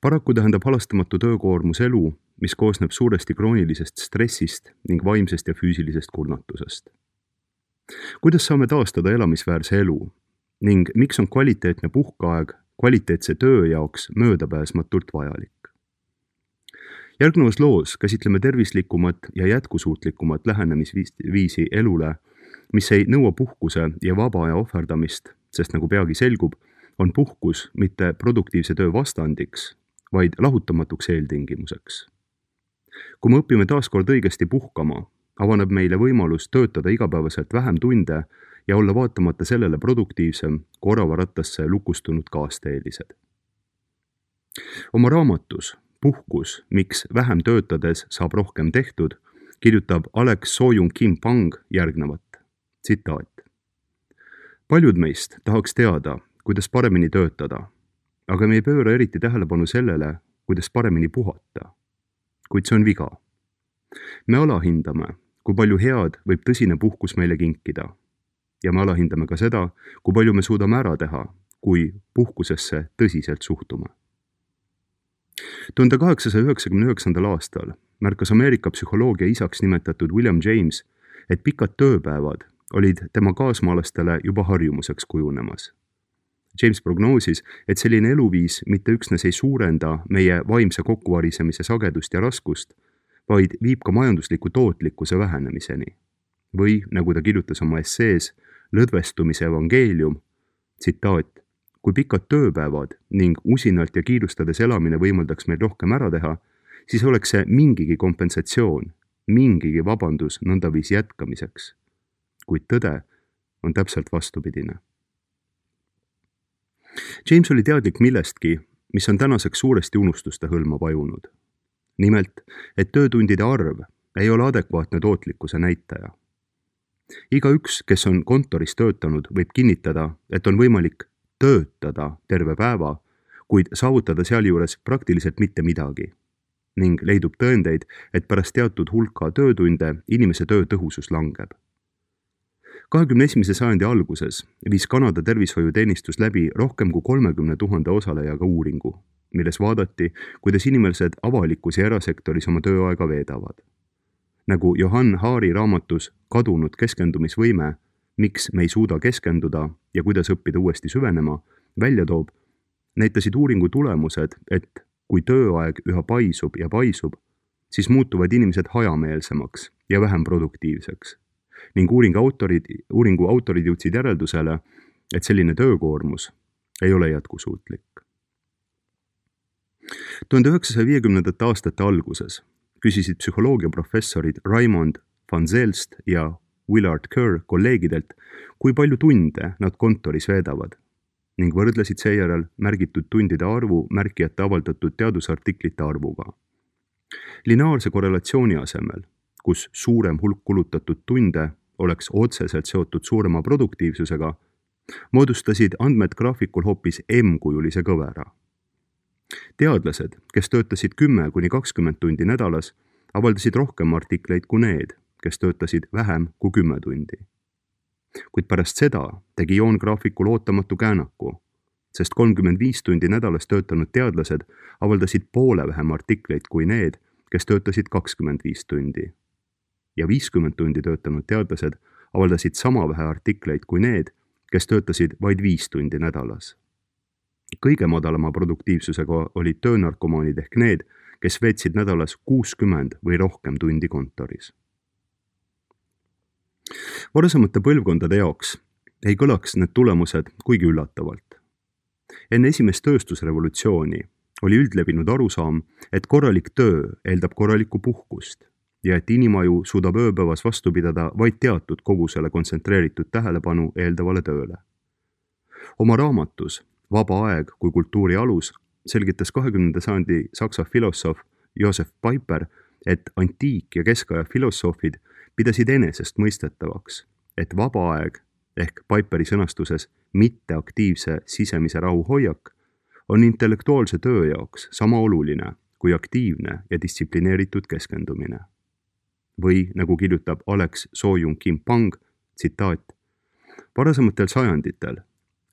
Paraku tähendab halastamatu töökoormus elu, mis koosneb suuresti kroonilisest stressist ning vaimsest ja füüsilisest kurnatusest. Kuidas saame taastada elamisväärse elu ning miks on kvaliteetne puhkeaeg kvaliteetse töö jaoks möödapääsmatult vajalik? Järgnevas loos käsitleme tervislikumat ja jätkusuutlikumat lähenemisviisi elule, mis ei nõua puhkuse ja vaba aja ohverdamist, sest nagu peagi selgub, on puhkus mitte produktiivse töö vastandiks, vaid lahutamatuks eeltingimuseks. Kui me õpime taaskord õigesti puhkama, avaneb meile võimalus töötada igapäevaselt vähem tunde ja olla vaatamata sellele produktiivsem kui oravarattasse lukustunud kaasteelised. Oma raamatus Puhkus, miks vähem töötades saab rohkem tehtud, kirjutab Alex Soyun-Kim Pang järgnevat. Tsitaat. Paljud meist tahaks teada, kuidas paremini töötada, aga me ei pööra eriti tähelepanu sellele, kuidas paremini puhata. Kuid see on viga. Me alahindame, kui palju head võib tõsine puhkus meile kinkida. Ja me alahindame ka seda, kui palju me suudame ära teha, kui puhkusesse tõsiselt suhtume. 1899. aastal märkas Ameerika psühholoogia isaks nimetatud William James, et pikad tööpäevad olid tema kaasmaalastele juba harjumuseks kujunemas. James prognoosis, et selline eluviis mitte üksnes ei suurenda meie vaimse kokkuvarisemise sagedust ja raskust, vaid viib ka majandusliku tootlikkuse vähenemiseni. Või, nagu ta kirjutas oma essees Lõdvestumise evangeelium, tsitaat, kui pikad tööpäevad ning usinalt ja kiirustades elamine võimaldaks meil rohkem ära teha, siis oleks see mingigi kompensatsioon, mingigi vabandus nõndaviisi jätkamiseks. Kuid tõde on täpselt vastupidine. James oli teadlik millestki, mis on tänaseks suuresti unustuste hõlma vajunud. Nimelt, et töötundide arv ei ole adekvaatne tootlikkuse näitaja. Igaüks, kes on kontoris töötanud, võib kinnitada, et on võimalik töötada terve päeva, kuid saavutada sealjuures praktiliselt mitte midagi. Ning leidub tõendeid, et pärast teatud hulka töötunde inimese töö tõhusus langeb. 21. sajandi alguses viis Kanada tervishoiuteenistus läbi rohkem kui 30 000 osalejaga uuringu, milles vaadati, kuidas inimesed avalikus ja erasektoris oma tööaega veedavad. Nagu Johann Hari raamatus Kadunud keskendumisvõime, miks me ei suuda keskenduda ja kuidas õppida uuesti süvenema, välja toob, näitasid uuringu tulemused, et kui tööaeg üha paisub ja paisub, siis muutuvad inimesed hajameelsemaks ja vähem produktiivseks. Ning uuringu autorid jõudsid järeldusele, et selline töökoormus ei ole jätkusuutlik. 1950. aastate alguses küsisid psühholoogiaprofessorid Raymond van Zelst ja Willard Kerr kolleegidelt, kui palju tunde nad kontoris veedavad ning võrdlesid seejärel märgitud tundide arvu märkijate avaldatud teadusartiklite arvuga. Lineaarse korrelatsiooni asemel, kus suurem hulk kulutatud tunde oleks otseselt seotud suurema produktiivsusega, moodustasid andmed graafikul hoopis M-kujulise kõvera. Teadlased, kes töötasid 10–20 tundi nädalas, avaldasid rohkem artikleid kui need, kes töötasid vähem kui 10 tundi. Kuid pärast seda tegi joon graafikul ootamatu käänaku, sest 35 tundi nädalas töötanud teadlased avaldasid poole vähem artikleid kui need, kes töötasid 25 tundi. Ja 50 tundi töötanud teadlased avaldasid sama vähe artikleid kui need, kes töötasid vaid 5 tundi nädalas. Kõige madalama produktiivsusega olid töönarkomaanid ehk need, kes veetsid nädalas 60 või rohkem tundi kontoris. Varasemate põlvkondade jaoks ei kõlaks need tulemused kuigi üllatavalt. Enne esimest tööstusrevolutsiooni oli üldlevinud arusaam, et korralik töö eeldab korralikku puhkust ja et inimaju suudab ööpäevas vastu pidada vaid teatud kogusele kontsentreeritud tähelepanu eeldavale tööle. Oma raamatus Vaba aeg kui kultuuri alus selgitas 20. sajandi saksa filosoof Josef Peiper, et antiik- ja keskaja filosoofid pidasid enesest mõistetavaks, et vaba aeg ehk Peiperi sõnastuses mitteaktiivse sisemise rahu hoiak on intellektuaalse töö jaoks sama oluline kui aktiivne ja distsiplineeritud keskendumine. Või nagu kirjutab Alex Soo-Jung-Kim-Pang, tsitaat, varasematel sajanditel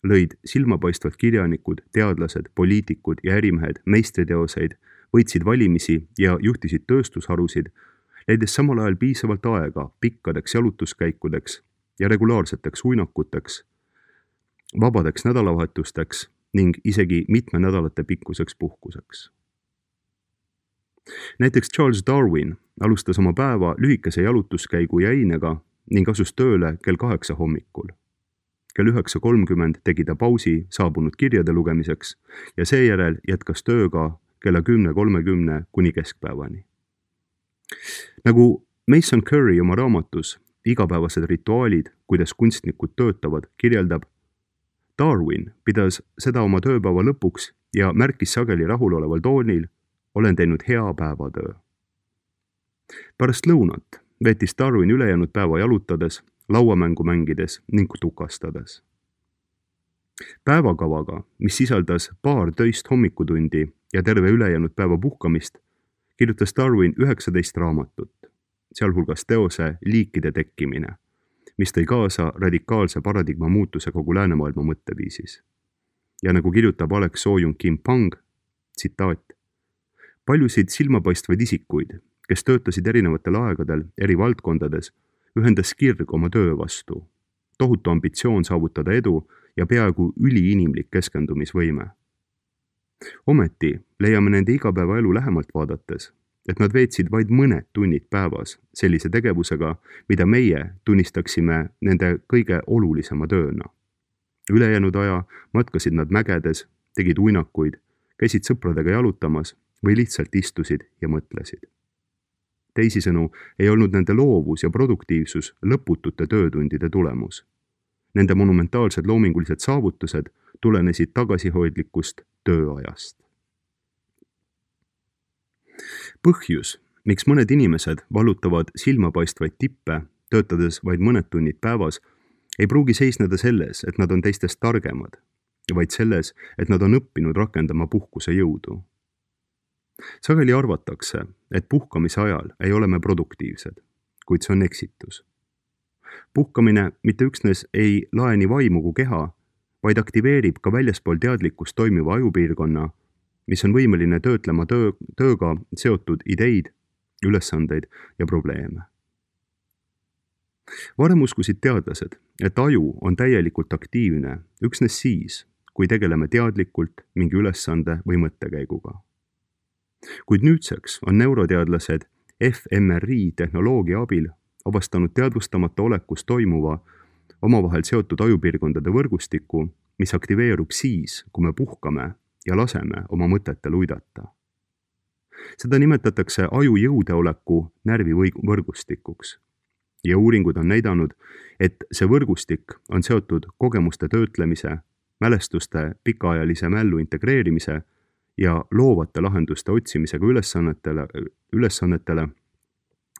lõid silmapaistvad kirjanikud, teadlased, poliitikud ja ärimehed meistriteoseid, võitsid valimisi ja juhtisid tööstusharusid, leides samal ajal piisavalt aega pikkadeks jalutuskäikudeks ja regulaarseteks uinakuteks, vabadeks nädalavahetusteks ning isegi mitme nädalate pikkuseks puhkuseks. Näiteks Charles Darwin alustas oma päeva lühikese jalutuskäigu jäinega ning asus tööle kell 8 hommikul. Kell 9:30 tegi ta pausi saabunud kirjade lugemiseks ja seejärel jätkas tööga kella 10:30 kuni keskpäevani. Nagu Mason Curry oma raamatus Igapäevased rituaalid, kuidas kunstnikud töötavad, kirjeldab, Darwin pidas seda oma tööpäeva lõpuks ja märkis sageli rahuloleval toonil, olen teinud hea päevatöö. Pärast lõunat veetis Darwin ülejäänud päeva jalutades, lauamängu mängides ning tukastades. Päevakavaga, mis sisaldas paar töist hommikutundi ja terve ülejäänud päeva puhkamist, kirjutas Darwin 19 raamatut, sealhulgas teose Liikide tekkimine, mis tõi kaasa radikaalse paradigma muutuse kogu läänemaailma mõtteviisis. Ja nagu kirjutab Alex Soo-Jung-Kim-Pang, tsitaat, paljusid silmapaistvaid isikuid, kes töötasid erinevatel aegadel eri valdkondades, ühendas kirg oma töö vastu, tohutu ambitsioon saavutada edu ja peaaegu üliinimlik keskendumisvõime. Ometi leiame nende igapäevaelu lähemalt vaadates, et nad veetsid vaid mõned tunnid päevas sellise tegevusega, mida meie tunnistaksime nende kõige olulisema tööna. Ülejäänud aja matkasid nad mägedes, tegid uinakuid, käisid sõpradega jalutamas või lihtsalt istusid ja mõtlesid. Teisisõnu ei olnud nende loovus ja produktiivsus lõputute töötundide tulemus. Nende monumentaalsed loomingulised saavutused tulenesid tagasihoidlikust tööajast. Põhjus, miks mõned inimesed vallutavad silmapaistvaid tippe, töötades vaid mõned tunnid päevas, ei pruugi seisneda selles, et nad on teistest targemad, vaid selles, et nad on õppinud rakendama puhkuse jõudu. Sageli arvatakse, et puhkamise ajal ei ole me produktiivsed, kuid see on eksitus. Puhkamine mitte üksnes ei lae nii vaimu kui keha, vaid aktiveerib ka väljaspool teadlikkust toimiva ajupiirkonna, mis on võimeline töötlema tööga seotud ideid, ülesandeid ja probleeme. Varem uskusid teadlased, et aju on täielikult aktiivne üksnes siis, kui tegeleme teadlikult mingi ülesande või mõttekäiguga. Kuid nüüdseks on neuroteadlased fMRI tehnoloogia abil avastanud teadvustamata olekus toimuva omavahel seotud ajupiirkondade võrgustiku, mis aktiveerub siis, kui me puhkame ja laseme oma mõtetel uidata. Seda nimetatakse aju jõudeoleku närvivõrgustikuks ja uuringud on näidanud, et see võrgustik on seotud kogemuste töötlemise, mälestuste pikaajalise mällu integreerimise ja loovate lahenduste otsimisega ülesannetele,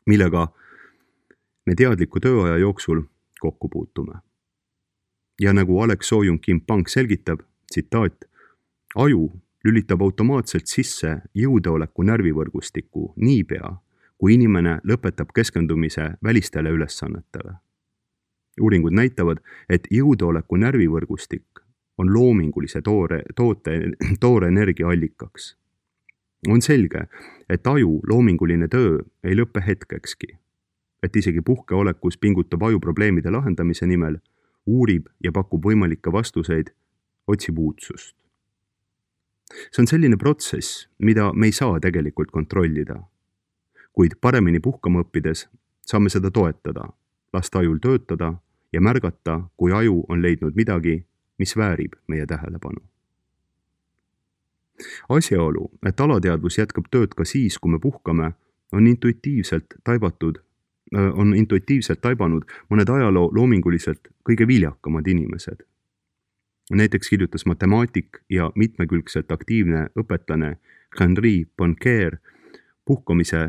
millega me teadliku tööaja jooksul kokku puutume. Ja nagu Alex Soo-Jung-Kim-Pang selgitab, tsitaat, aju lülitab automaatselt sisse jõudeoleku närvivõrgustiku niipea, kui inimene lõpetab keskendumise välistele ülesannetele. Uuringud näitavad, et jõudeoleku närvivõrgustik on loomingulise toore energia allikaks. On selge, et aju loominguline töö ei lõppe hetkekski, et isegi puhkeolekus pingutab aju probleemide lahendamise nimel, uurib ja pakub võimalikke vastuseid, otsib uudsust. See on selline protsess, mida me ei saa tegelikult kontrollida. Kuid paremini puhkama õppides saame seda toetada, lasta ajul töötada ja märgata, kui aju on leidnud midagi, mis väärib meie tähelepanu. Asjaolu, et alateadvus jätkab tööd ka siis, kui me puhkame, on intuitiivselt taibanud mõned ajaloo loominguliselt kõige viljakamad inimesed. Näiteks kirjutas matemaatik ja mitmekülgselt aktiivne õpetlane Henri Poincaré puhkamise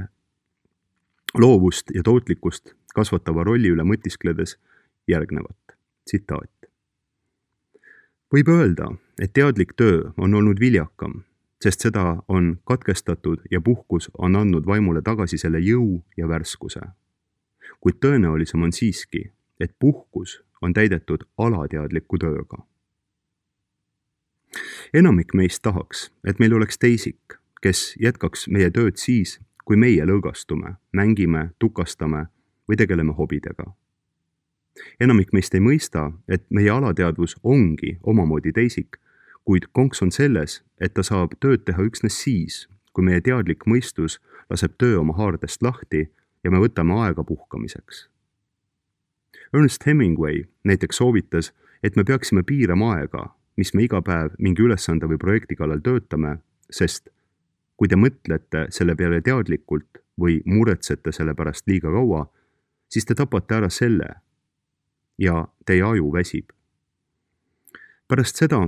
loovust ja tootlikkust kasvatava rolli üle mõtiskledes järgnevat tsitaat. Võib öelda, et teadlik töö on olnud viljakam, sest seda on katkestatud ja puhkus on andnud vaimule tagasi selle jõu ja värskuse. Kuid tõenäolisem on siiski, et puhkus on täidetud alateadliku tööga. Enamik meist tahaks, et meil oleks teisik, kes jätkaks meie tööd siis, kui meie lõõgastume, mängime, tukastame või tegeleme hobidega. Enamik meist ei mõista, et meie alateadvus ongi omamoodi teisik, kuid konks on selles, et ta saab tööd teha üksnes siis, kui meie teadlik mõistus laseb töö oma haardest lahti ja me võtame aega puhkamiseks. Ernest Hemingway näiteks soovitas, et me peaksime piirama aega, mis me iga päev mingi ülesande või projekti kallal töötame, sest kui te mõtlete selle peale teadlikult või muretsete selle pärast liiga kaua, siis te tapate ära selle ja teie aju väsib. Pärast seda,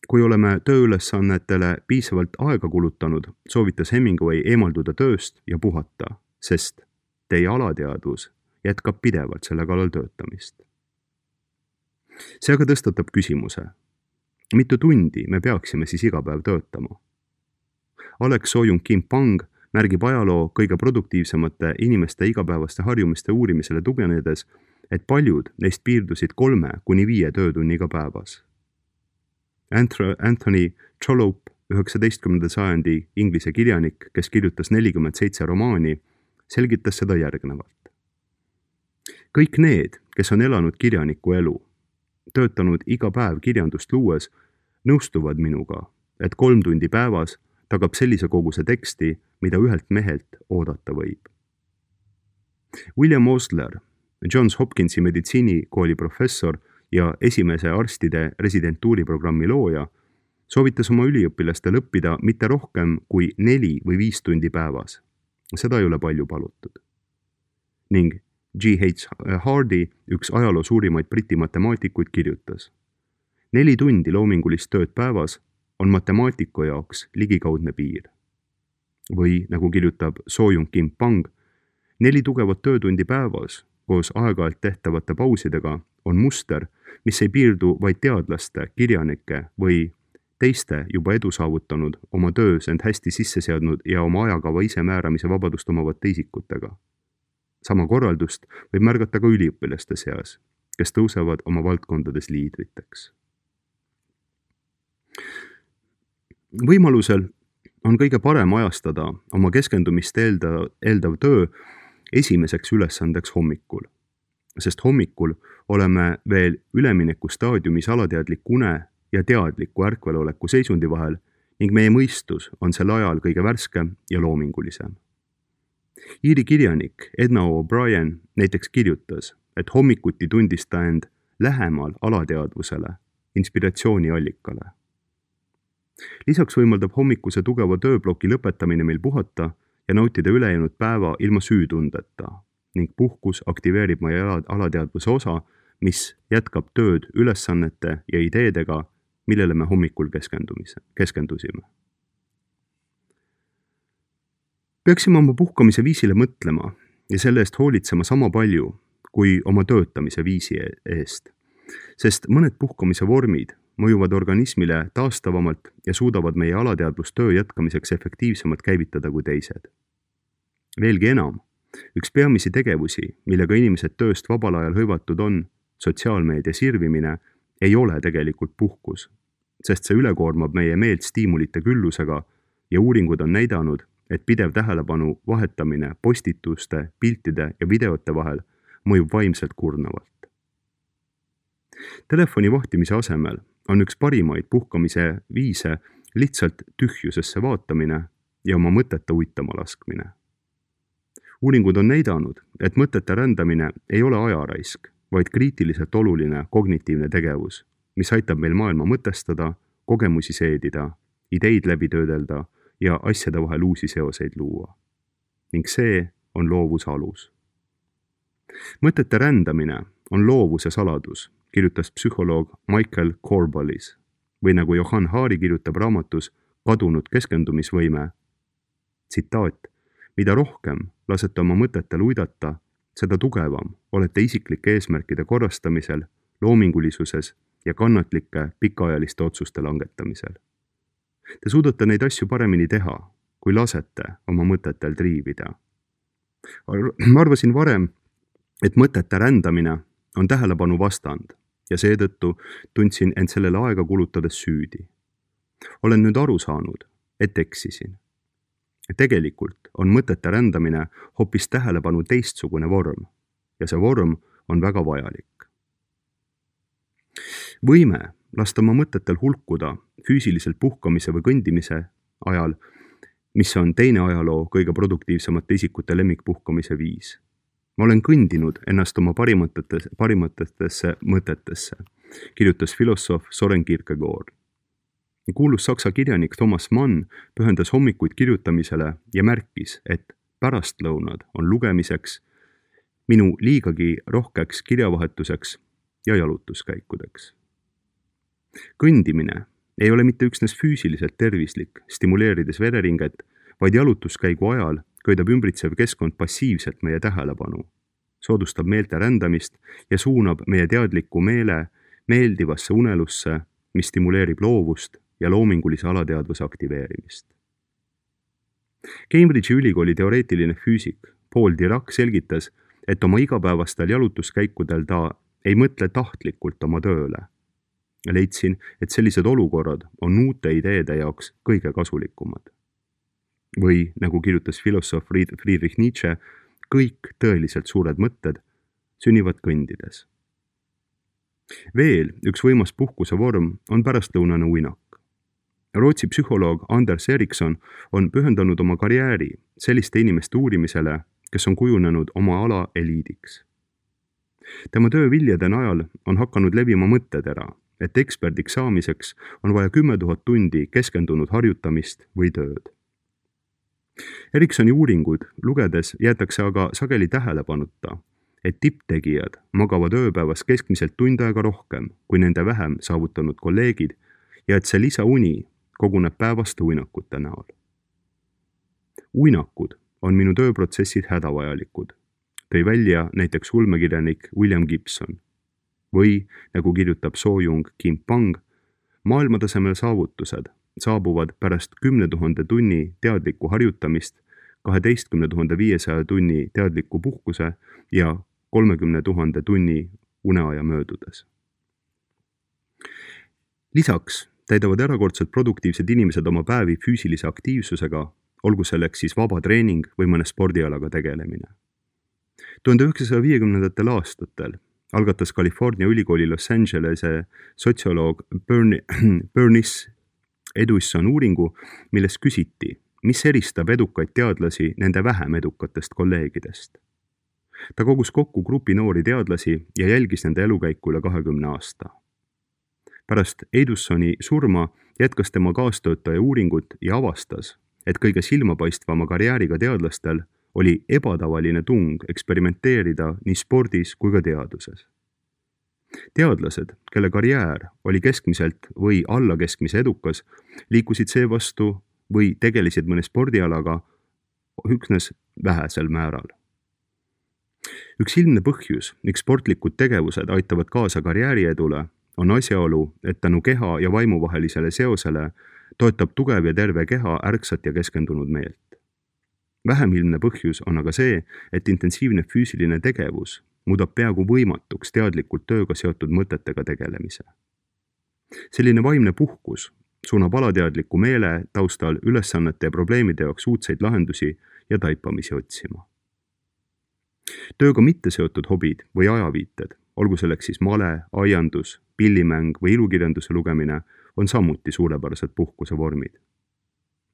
kui oleme tööülesannetele piisavalt aega kulutanud, soovitas Hemingway eemalduda tööst ja puhata, sest teie alateadvus jätkab pidevalt selle kallal töötamist. See aga tõstatab küsimuse, mitu tundi me peaksime siis iga päev töötama? Alex Soyun-Kim-Pang märgib ajaloo kõige produktiivsemate inimeste igapäevaste harjumiste uurimisele tuginedes, et paljud neist piirdusid 3–5 töötunniga päevas. Anthony Trollope, 19. sajandi inglise kirjanik, kes kirjutas 47 romaani, selgitas seda järgnevalt. Kõik need, kes on elanud kirjaniku elu, töötanud iga päev kirjandust luues, nõustuvad minuga, et 3 tundi päevas tagab sellise koguse teksti, mida ühelt mehelt oodata võib. William Osler, Johns Hopkinsi meditsiinikooli professor ja esimese arstide residentuuriprogrammi looja, soovitas oma üliõpilastel õppida mitte rohkem kui 4 või 5 tundi päevas. Seda ei ole palju palutud. Ning G.H. Hardy, üks ajaloo suurimaid briti matemaatikuid, kirjutas: 4 tundi loomingulist tööd päevas on matemaatiku jaoks ligikaudne piir. Või, nagu kirjutab Soyun-Kim-Pang, 4 tugevat töötundi päevas koos aeg-ajalt tehtavate pausidega on muster, mis ei piirdu vaid teadlaste, kirjanike või teiste juba edu saavutanud, oma töös end hästi sisse seadnud ja oma ajakava ise määramise vabadust omavate isikutega. Sama korraldust võib märgata ka üliõpilaste seas, kes tõusevad oma valdkondades liidriteks. Võimalusel on kõige parem ajastada oma keskendumist eeldav töö esimeseks ülesandeks hommikul, sest hommikul oleme veel ülemineku staadiumis alateadliku une ja teadliku ärkveloleku seisundi vahel ning meie mõistus on sel ajal kõige värskem ja loomingulisem. Iiri kirjanik Edna O'Brien näiteks kirjutas, et hommikuti tundis ta end lähemal alateadvusele, inspiratsiooniallikale. Lisaks võimaldab hommikuse tugeva tööbloki lõpetamine meil puhata ja nautida ülejäänud päeva ilma süütundeta ning puhkus aktiveerib meie alateadvuse osa, mis jätkab tööd ülesannete ja ideedega, millele me hommikul keskendusime. Peaksime oma puhkamise viisile mõtlema ja selle eest hoolitsema sama palju kui oma töötamise viisi eest, sest mõned puhkamise vormid mõjuvad organismile taastavamalt ja suudavad meie alateadvust töö jätkamiseks efektiivsemalt käivitada kui teised. Veelgi enam, üks peamisi tegevusi, millega inimesed tööst vabal ajal hõivatud on, sotsiaalmeedia sirvimine, ei ole tegelikult puhkus, sest see ülekoormab meie meelt stiimulite küllusega ja uuringud on näidanud, et pidev tähelepanu vahetamine postituste, piltide ja videote vahel mõjub vaimselt kurnavalt. Telefoni vahtimise asemel on üks parimaid puhkamise viise lihtsalt tühjusesse vaatamine ja oma mõtete uitama laskmine. Uuringud on näidanud, et mõtete rändamine ei ole ajaraisk, vaid kriitiliselt oluline kognitiivne tegevus, mis aitab meil maailma mõtestada, kogemusi seedida, ideid läbi töödelda ja asjade vahel uusi seoseid luua. Ning see on loovuse alus. Mõtete rändamine on loovuse saladus, kirjutas psühholoog Michael Corballis, või nagu Johann Hari kirjutab raamatus Kadunud keskendumisvõime, tsitaat, mida rohkem lasete oma mõtetel uidata, seda tugevam olete isiklike eesmärkide korrastamisel, loomingulisuses ja kannatlike pikaajaliste otsuste langetamisel. Te suudate neid asju paremini teha, kui lasete oma mõtetel triivida. Ma arvasin varem, et mõtete rändamine on tähelepanu vastand ja seetõttu tundsin end sellele aega kulutades süüdi. Olen nüüd aru saanud, et eksisin. Tegelikult on mõtete rändamine hoopis tähelepanu teistsugune vorm ja see vorm on väga vajalik. Võime lasta oma mõtetel hulkuda füüsiliselt puhkamise või kõndimise ajal, mis on teine ajaloo kõige produktiivsemate isikute lemmikpuhkamise viis. Ma olen kõndinud ennast oma parimatesse mõtetesse, kirjutas filosoof Soren Kierkegaard. Kuulus saksa kirjanik Thomas Mann pühendas hommikuid kirjutamisele ja märkis, et pärastlõunad on lugemiseks, minu liigagi rohkeks kirjavahetuseks ja jalutuskäikudeks. Kõndimine ei ole mitte üksnes füüsiliselt tervislik, stimuleerides vereringet, vaid jalutuskäigu ajal köidab ümbritsev keskkond passiivselt meie tähelepanu, soodustab meelte rändamist ja suunab meie teadliku meele meeldivasse unelusse, mis stimuleerib loovust ja loomingulise alateadvuse aktiveerimist. Cambridge'i ülikooli teoreetiline füüsik Paul Dirac selgitas, et oma igapäevastel jalutuskäikudel ta ei mõtle tahtlikult oma tööle. Leidsin, et sellised olukorrad on uute ideede jaoks kõige kasulikumad. Või, nagu kirjutas filosoof Friedrich Nietzsche, kõik tõeliselt suured mõtted sünnivad kõndides. Veel üks võimas puhkuse vorm on pärastlõunane uinak. Rootsi psühholoog Anders Eriksson on pühendanud oma karjääri selliste inimeste uurimisele, kes on kujunenud oma ala eliidiks. Tema töö viljade najal on hakanud levima mõttetera, et eksperdiks saamiseks on vaja 10 000 tundi keskendunud harjutamist või tööd. Erikssoni uuringud lugedes jäetakse aga sageli tähelepanuta, et tipptegijad magavad ööpäevas keskmiselt tund aega rohkem kui nende vähem saavutanud kolleegid ja et see lisauni koguneb päevaste uinakute näol. Uinakud on minu tööprotsessid hädavajalikud, tõi välja näiteks ulmekirjanik William Gibson. Või, nagu kirjutab Soo-Jung Kim Pang, maailmatasemel saavutused saabuvad pärast 10 000 tunni teadlikku harjutamist, 12 500 tunni teadliku puhkuse ja 30 000 tunni uneaja möödudes. Lisaks täidavad erakordselt produktiivsed inimesed oma päevi füüsilise aktiivsusega, olgu selleks siis vaba treening või mõne spordialaga tegelemine. 1950. aastatel algatas California ülikooli Los Angelese sotsioloog Bernice Edwisson uuringu, milles küsiti, mis eristab edukaid teadlasi nende vähem edukatest kolleegidest. Ta kogus kokku grupi noori teadlasi ja jälgis nende elukäiku üle 20 aasta. Pärast Edwissoni surma jätkas tema kaastöötaja uuringut ja avastas, et kõige silmapaistvama karjääriga teadlastel oli ebatavaline tung eksperimenteerida nii spordis kui ka teaduses. Teadlased, kelle karjäär oli keskmiselt või alla keskmise edukas, liikusid seevastu või tegelesid mõne spordialaga üksnes vähesel määral. Üks ilmne põhjus, miks sportlikud tegevused aitavad kaasa karjääriedule, on asjaolu, et tänu keha ja vaimu vahelisele seosele toetab tugev ja terve keha ärksat ja keskendunud meelt. Vähem ilmne põhjus on aga see, et intensiivne füüsiline tegevus muudab peaaegu võimatuks teadlikult tööga seotud mõtetega tegelemise. Selline vaimne puhkus suunab alateadliku meele taustal ülesannete ja probleemide jaoks uudseid lahendusi ja taipamisi otsima. Tööga mitte seotud hobid või ajaviited, olgu selleks siis male, aiandus, pillimäng või ilukirjanduse lugemine, on samuti suurepärased puhkuse vormid.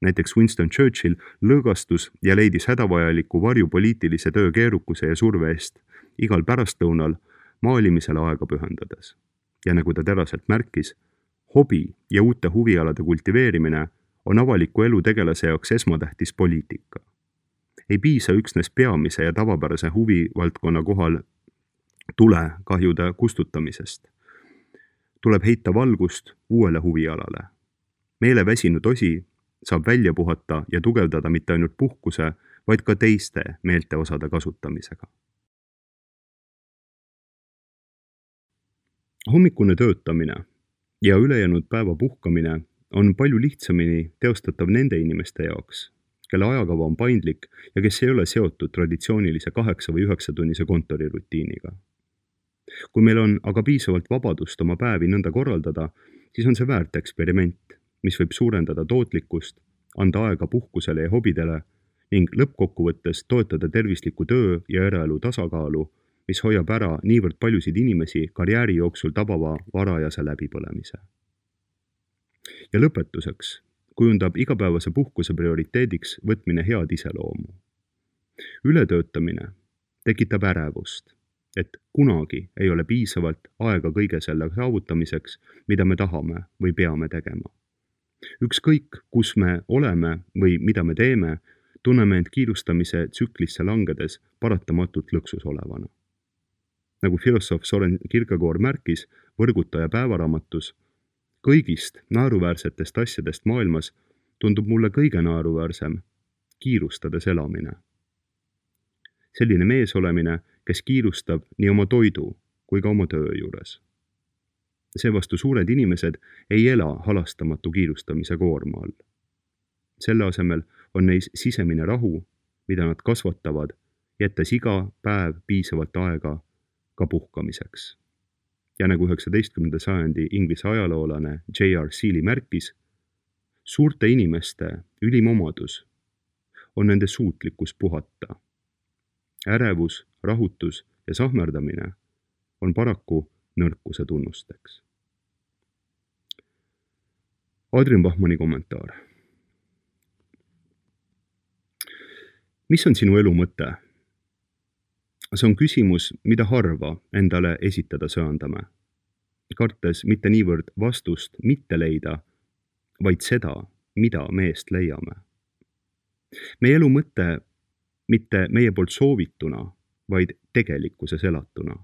Näiteks Winston Churchill lõõgastus ja leidis hädavajaliku varju poliitilise töö keerukuse ja surve eest igal pärastlõunal maalimisele aega pühendades. Ja nagu ta teraselt märkis, hobi ja uute huvialade kultiveerimine on avaliku elu tegelase jaoks esmatähtis poliitika. Ei piisa üksnes peamise ja tavapärase huvivaldkonna kohal tulekahjude kustutamisest. Tuleb heita valgust uuele huvialale. Meele väsinud osi saab välja puhata ja tugevdada mitte ainult puhkuse, vaid ka teiste meelteosade kasutamisega. Hommikune töötamine ja ülejäänud päeva puhkamine on palju lihtsamini teostatav nende inimeste jaoks, kelle ajakava on paindlik ja kes ei ole seotud traditsioonilise 8 või 9 tunnise kontorirutiiniga. Kui meil on aga piisavalt vabadust oma päevi nõnda korraldada, siis on see väärt eksperiment, mis võib suurendada tootlikkust, anda aega puhkusele ja hobidele ning lõppkokkuvõttes toetada tervisliku töö ja eraelu tasakaalu, mis hoiab ära niivõrd paljusid inimesi karjääri jooksul tabava varajase läbipõlemise. Ja lõpetuseks kujundab igapäevase puhkuse prioriteediks võtmine head iseloomu. Ületöötamine tekitab ärevust, et kunagi ei ole piisavalt aega kõige selle saavutamiseks, mida me tahame või peame tegema. Ükskõik, kus me oleme või mida me teeme, tunneme end kiirustamise tsüklisse langedes paratamatult lõksus olevana. Nagu filosoof Soren Kierkegaard märkis Võrgutaja päevaraamatus, kõigist naeruväärsetest asjadest maailmas tundub mulle kõige naeruväärsem kiirustades elamine. Selline mees olemine, kes kiirustab nii oma toidu kui ka oma töö juures. Seevastu suured inimesed ei ela halastamatu kiirustamise koorma all. Selle asemel on neis sisemine rahu, mida nad kasvatavad, jättes iga päev piisavalt aega ka puhkamiseks. Ja nagu 19. sajandi Inglise ajaloolane J.R. Seeley märkis, suurte inimeste ülim omadus on nende suutlikkus puhata. Ärevus, rahutus ja sahmerdamine on paraku nõrkuse tunnusteks. Adrian Bachmanni kommentaar. Mis on sinu elu mõte? See on küsimus, mida harva endale esitada söandame, kartes mitte niivõrd vastust mitte leida, vaid seda, mida meest leiame. Meie elu mõte mitte meie poolt soovituna, vaid tegelikkuses elatuna.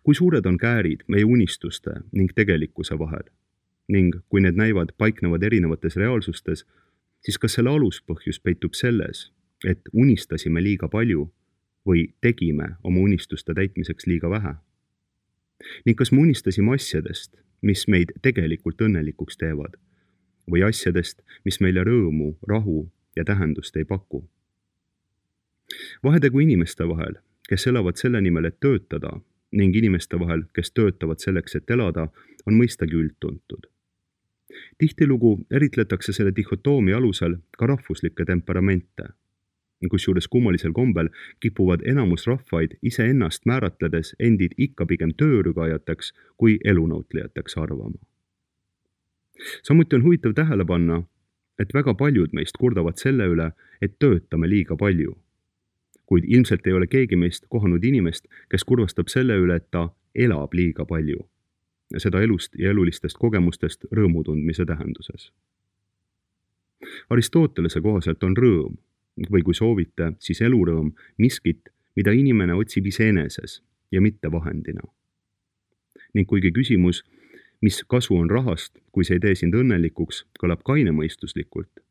Kui suured on käärid meie unistuste ning tegelikkuse vahel ning kui need näivad paiknevad erinevates reaalsustes, siis kas selle aluspõhjus peitub selles, et unistasime liiga palju või tegime oma unistuste täitmiseks liiga vähe? Ning kas me unistasime asjadest, mis meid tegelikult õnnelikuks teevad või asjadest, mis meile rõõmu, rahu ja tähendust ei paku? Vahetegu inimeste vahel, kes elavad selle nimel, et töötada, ning inimeste vahel, kes töötavad selleks, et elada, on mõistagi üldtuntud. Tihtilugu eritletakse selle dihhotoomia alusel ka rahvuslikke temperamente, kusjuures kummalisel kombel kipuvad enamus rahvaid iseennast määratledes endid ikka pigem töörügajateks kui elunautlejateks arvama. Samuti on huvitav tähele panna, et väga paljud meist kurdavad selle üle, et töötame liiga palju. Kuid ilmselt ei ole keegi meist kohanud inimest, kes kurvastab selle üle, et ta elab liiga palju. Seda elust ja elulistest kogemustest rõõmu tundmise tähenduses. Aristotelese kohaselt on rõõm, või kui soovite, siis elurõõm miskit, mida inimene otsib iseeneses ja mitte vahendina. Ning kuigi küsimus, mis kasu on rahast, kui see ei tee sind õnnelikuks, kõlab kainemõistuslikult,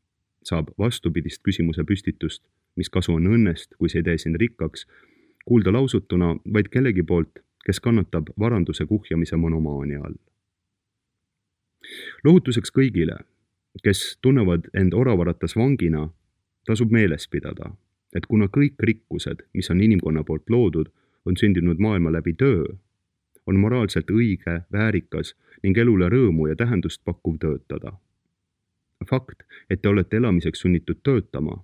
saab vastupidist küsimuse püstitust, mis kasu on õnnest, kui see ei tee sind rikkaks, kuulda lausutuna vaid kellegi poolt, kes kannatab varanduse kuhjamise monomaania all. Lohutuseks kõigile, kes tunnevad end oravaratas vangina, tasub meeles pidada, et kuna kõik rikkused, mis on inimkonna poolt loodud, on sündinud maailma läbi töö, on moraalselt õige, väärikas ning elule rõõmu ja tähendust pakkuv töötada. Fakt, et te olete elamiseks sunnitud töötama,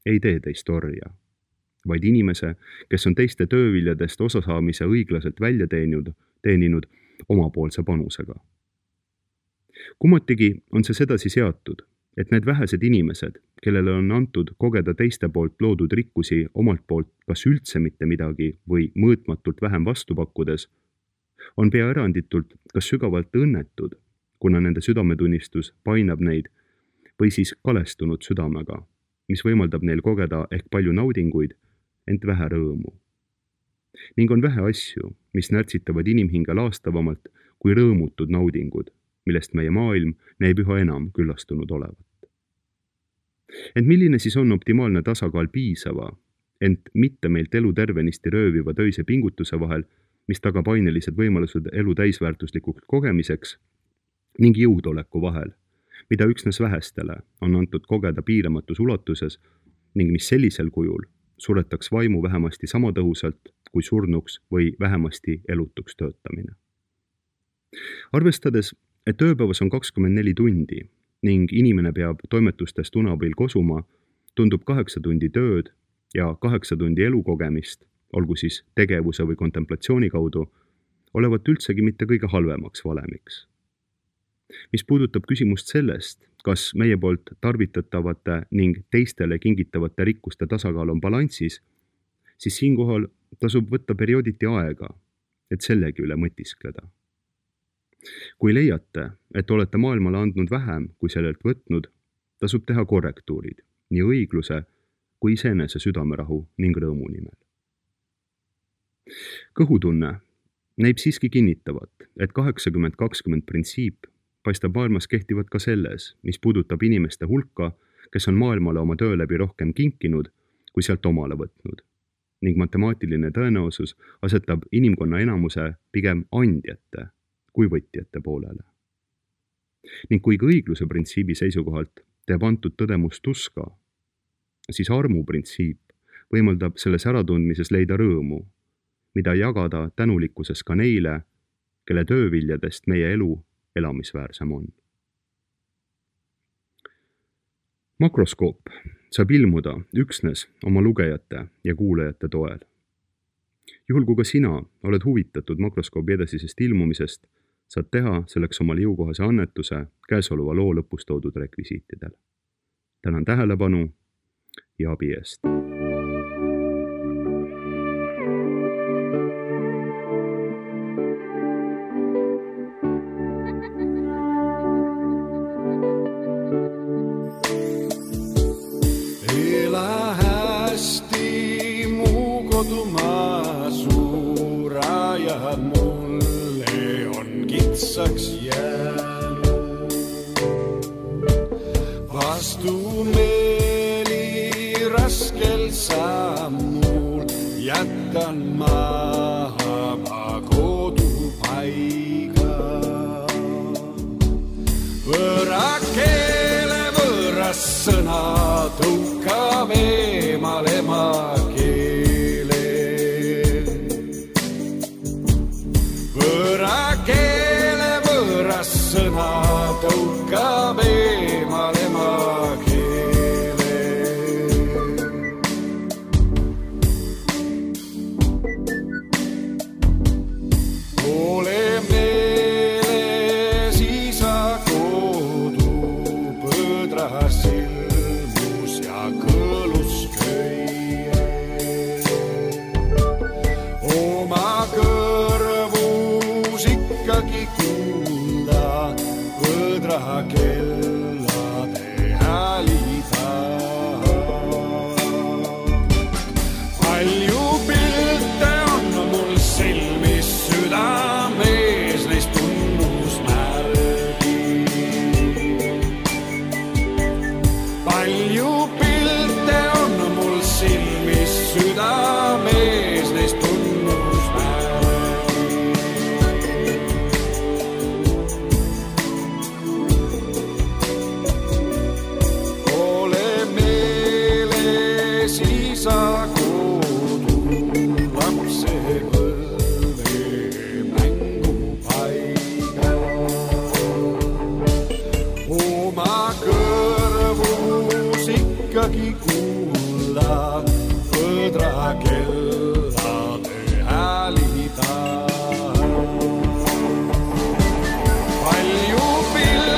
ei tee teist orja, vaid inimese, kes on teiste tööviljadest osasaamise õiglaselt välja teeninud omapoolse panusega. Kummatigi on see sedasi seatud, et need vähesed inimesed, kellele on antud kogeda teiste poolt loodud rikkusi omalt poolt kas üldse mitte midagi või mõõtmatult vähem vastu pakkudes, on pea eranditult kas sügavalt õnnetud, kuna nende südametunnistus painab neid, või siis kalestunud südamega, mis võimaldab neil kogeda ehk palju naudinguid, ent vähe rõõmu. Ning on vähe asju, mis närtsitavad inimhinge laastavamalt kui rõõmutud naudingud, millest meie maailm näib üha enam küllastunud olevat. Ent milline siis on optimaalne tasakaal piisava, ent mitte meilt elu tervenisti rööviva töise pingutuse vahel, mis tagab ainelised võimalused elu täisväärtuslikuks kogemiseks, ning jõudoleku vahel, mida üksnes vähestele on antud kogeda piiramatus ulatuses ning mis sellisel kujul suretaks vaimu vähemasti sama tõhusalt kui surnuks või vähemasti elutuks töötamine. Arvestades, et ööpäevas on 24 tundi ning inimene peab toimetustest une abil kosuma, tundub 8 tundi tööd ja 8 tundi elukogemist, olgu siis tegevuse või kontemplatsiooni kaudu, olevat üldsegi mitte kõige halvemaks valemiks. Mis puudutab küsimust sellest, kas meie poolt tarvitatavate ning teistele kingitavate rikkuste tasakaal on balansis, siis siinkohal tasub võtta periooditi aega, et sellegi üle mõtiskleda. Kui leiate, et olete maailmale andnud vähem kui sellelt võtnud, tasub teha korrektuurid nii õigluse kui iseenese südamerahu ning rõõmu nimel. Kõhutunne näib siiski kinnitavat, et 80-20 printsiip paistab maailmas kehtivat ka selles, mis puudutab inimeste hulka, kes on maailmale oma töö läbi rohkem kinkinud, kui sealt omale võtnud. Ning matemaatiline tõenäosus asetab inimkonna enamuse pigem andjate kui võtjate poolele. Ning kui õigluse printsiibi seisukohalt teeb antud tõdemus tuska, siis armu printsiip võimaldab selles äratundmises leida rõõmu, mida jagada tänulikkuses ka neile, kelle tööviljadest meie elu elamisväärsem on. Makroskoop saab ilmuda üksnes oma lugejate ja kuulajate toel. Juhul kui ka sina oled huvitatud makroskoobi edasisest ilmumisest, saad teha selleks omale jõukohase annetuse käesoleva loo lõpus toodud rekvisiitidel. Tänan tähelepanu ja abi eest. Kodumaa suurajad mulle on kitsaks jäänud. Vastumeeli raskel sammul jättan maha ma kodupaiga. Võõra keele võõras sõna tõukab eemal ema sõna tõukab eemal ema keele. Ole meeles isa kodu põdras ilmus ja kõlus köie. Oma kõrvus ikkagi kellade häälida. Palju pilte on mul silmis südamees, neist tunnusmärgi. Palju pilte on mul silmis südamees, neist tunnusmärgi. Kellade häälida. Palju pilte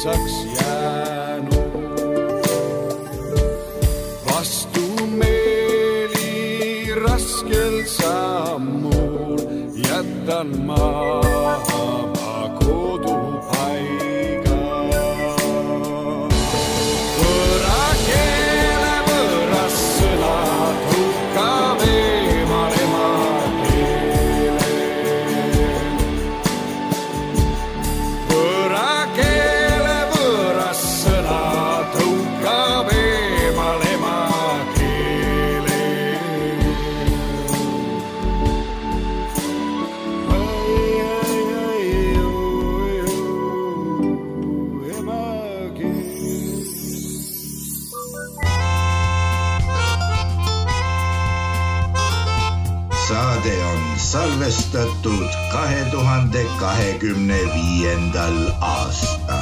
kitsaks jäänud. Vastumeeli raskel sammul jätan maha ma kodupaiga. Võõra keele võõras sõnad hukkab eemal emakeele. Võõra keele võõras sõnad hukkab eemal emakeele. Saade on salvestatud 2025. aastal.